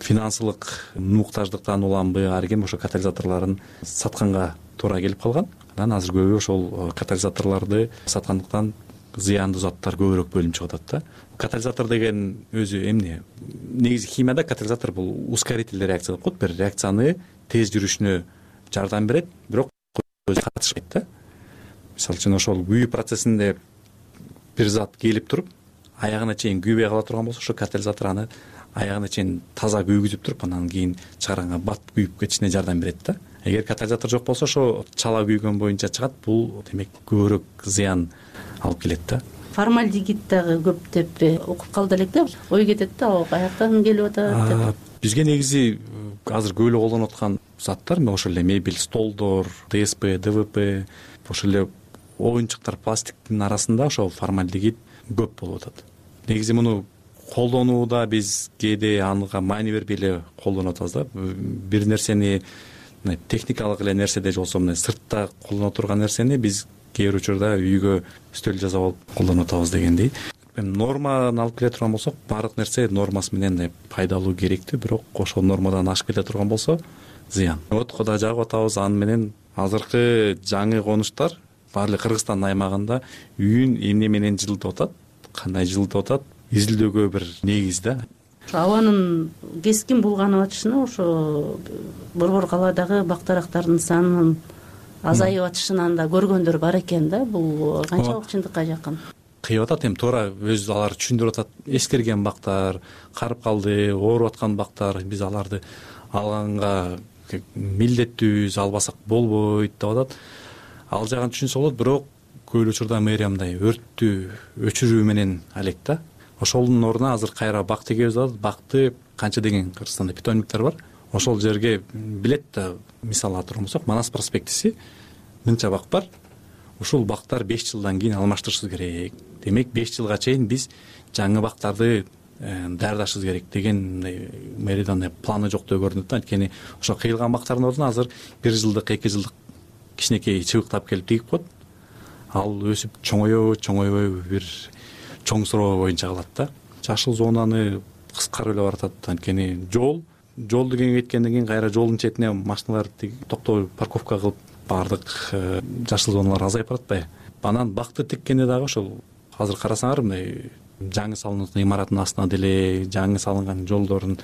финансылык муктаждыктан уламбы, ар ким ошо катализаторлорун сатканга туура келип калган. Анан азыр көбү ошол катализаторлорду саткандыктан зыяндуу заттар көбүрөөк бөлүнүп чыгып атат да. Катализатор деген өзү эмне? Негизи химияда катализатор бул ускорительный реакция деп коет. Бир реакцияны тез жүрүшүнө жардам берет, бирок өзү катышпайт да. Мисалы үчүн ошол күйүү процессинде бир зат келип туруп, аягына чейин күйбөй кала турган болсо, ошо катализатор аны аягына чейин таза күйгүзүп туруп, анан кийин чыгарганга бат күйүп кетишине жардам берет да. Эгер катализатор жок болсо, ошо чала күйгөн боюнча чыгат. Бул демек көбүрөөк зыян алып келет да. Формальдегид дагы көп деп окуп калды элек да. Ой кетет да, каяктан келип атат деп. Бизге негизи азыр көп эле колдонуп аткан заттар, ошол эле мебель, столдор, ДСП, ДВП, ошол эле оюнчуктар, пластиктин арасында ошо формальдегид көп болуп атат. Негизи муну колдонууда биз кээде анга маани бербей эле колдонуп атабыз да. Бир нерсени техникалык эле нерседе же болбосо мына сыртта колдоно турган нерсени биз кээ бир учурда үйгө стөл жасап алып колдонуп атабыз дегендей. Норманы алып келе турган болсок, баардык нерсе нормасы менен пайдалуу, керектүү, бирок ошол нормадан ашып кете турган болсо зыян. Отко да жагып атабыз, аны менен азыркы жаңы конуштар баары Кыргызстандын аймагында үйүн эмне менен жылытып атат, кандай жылытып атат, изилдөөгө бир негиз да. Абанын кескин булганып атышына ошо Борбор калаадагы бактарактардын санынын азайып атышынан да көргөндөр бар экен да. Бул канчалык чындыкка жакын? Кыйып атат, эми туура өзү алар түшүндүрүп атат. Эскерген бактар, карып калды, ооруп аткан бактар, биз аларды алганга милдеттүүбүз, албасак болбойт деп атат. Ал жагын түшүнсө болот, бирок көп учурда мэрия мындай өрттү өчүрүү менен алек да. Ошонун ордуна азыр кайра бак тегебиз атат. Бакты канча деген Кыргызстанда питомниктер бар. Ошол жерге билет да, мисалы алып турган болсок, Манас проспектиси мынча бак бар. Ушул бактар беш жылдан кийин алмаштырышыбыз керек. Демек беш жылга чейин биз жаңы бактарды даярдашыбыз керек деген мэриядан планы жок деп көрүнөт да. Анткени ошо кыйылган бактардын ордуна азыр бир жылдык, эки жылдык кичинекей чыбыктап келип тигип коет. Ал өсүп чоңойобу, чоңойбойбу бир чоң суроо боюнча калат да. Жашыл зонаны кыскарып эле баратат. Анткени жол, жол деген кеткенден кийин кайра жолдун четине машиналар токтоо, парковка кылып баардык жашыл зоналар азайып баратпайбы? Анан бакты тиккенде дагы ошол азыр карасаңар, мындай жаңы салынган имараттын астына деле, жаңы салынган жолдордун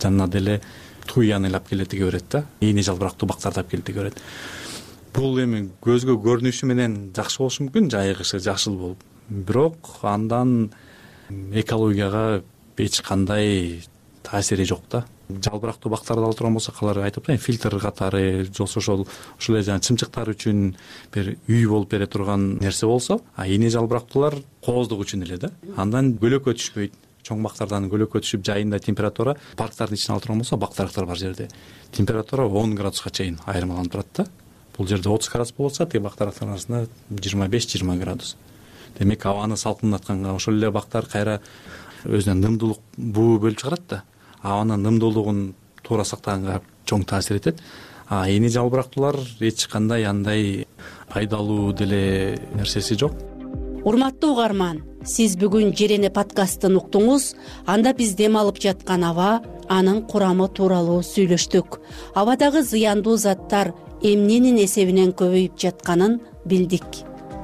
жанына деле туяны алып келе тиге берет да. Ийне жалбырактуу бактарды алып келе тиге берет. Бул эми көзгө көрүнүшү менен жакшы болушу мүмкүн, жайыгышы жашыл болуп. Бирок андан экологияга эч кандай таасири жок да. Жалбырактуу бактарды алып турган болсок, алар айтып атпайбы, фильтр катары, жолсу ошол ошол эле жана чымчыктар үчүн бир үй болуп бере турган нерсе болсо, а ийне жалбырактуулар кооздук үчүн эле да. Андан көлөккө түшпөйт. Чоң бактардан көлөккө түшүп, жайында температура, парктардын ичине алып турган болсо, бактарактар бар жерде температура он градуска чейин айырмаланып турат да. Бул жерде отуз градус болуп атса, тиги бактарактардын арасында жыйырма беш жыйырма градус. Демек абаны салкындатканга ошол эле бактар кайра өзүнөн нымдуулук буу бөлүп чыгарат да. Абанын нымдуулугун туура сактаганга чоң таасир этет. А ийне жалбырактуулар эч кандай андай пайдалуу деле нерсеси жок. урматтуу угарман, сиз бүгүн Жерене подкастын уктуңуз. Анда биз дем алып жаткан аба, анын курамы тууралуу сүйлөштүк. Абадагы зыяндуу заттар эмненин эсебинен көбөйүп жатканын билдик.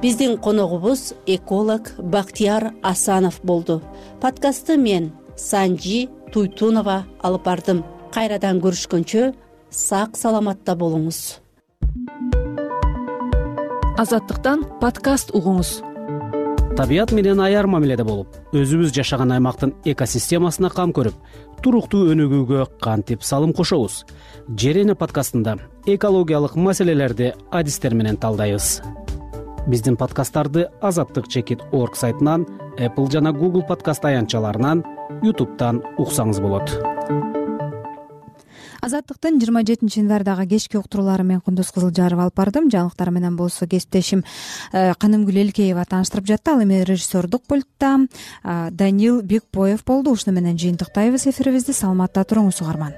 Биздин коногубуз эколог Бактияр Асанов болду. Подкастты мен Санжи Туйтунова алып бардым. Кайрадан көрүшкөнчө сак саламатта болуңуз. Азаттыктан подкаст угуңуз. Табият менен аяр мамиледе болуп, өзүбүз жашаган аймактын экосистемасына кам көрүп, туруктуу өнүгүүгө кантип салым кошобуз? Жерене подкастында экологиялык маселелерди адистер менен талдайбыз. Биздин подкасттарды азаттык чекит орг сайтынан, Apple жана Google подкаст аянтчаларынан, YouTube'дан уксаңыз болот. Азаттыктын жыйырма жетинчи январдагы кечки уктуруулары мен Кундуз Кызылжарова алып бардым. Жаңылыктар менен болсо кесиптешим Канымгүл Элкеева тааныштырып жатты. Ал эми режиссердук пультта Данил Бекбоев болду. Ушуну менен жыйынтыктайбыз эфирибизди. Саламатта туруңуз угарман.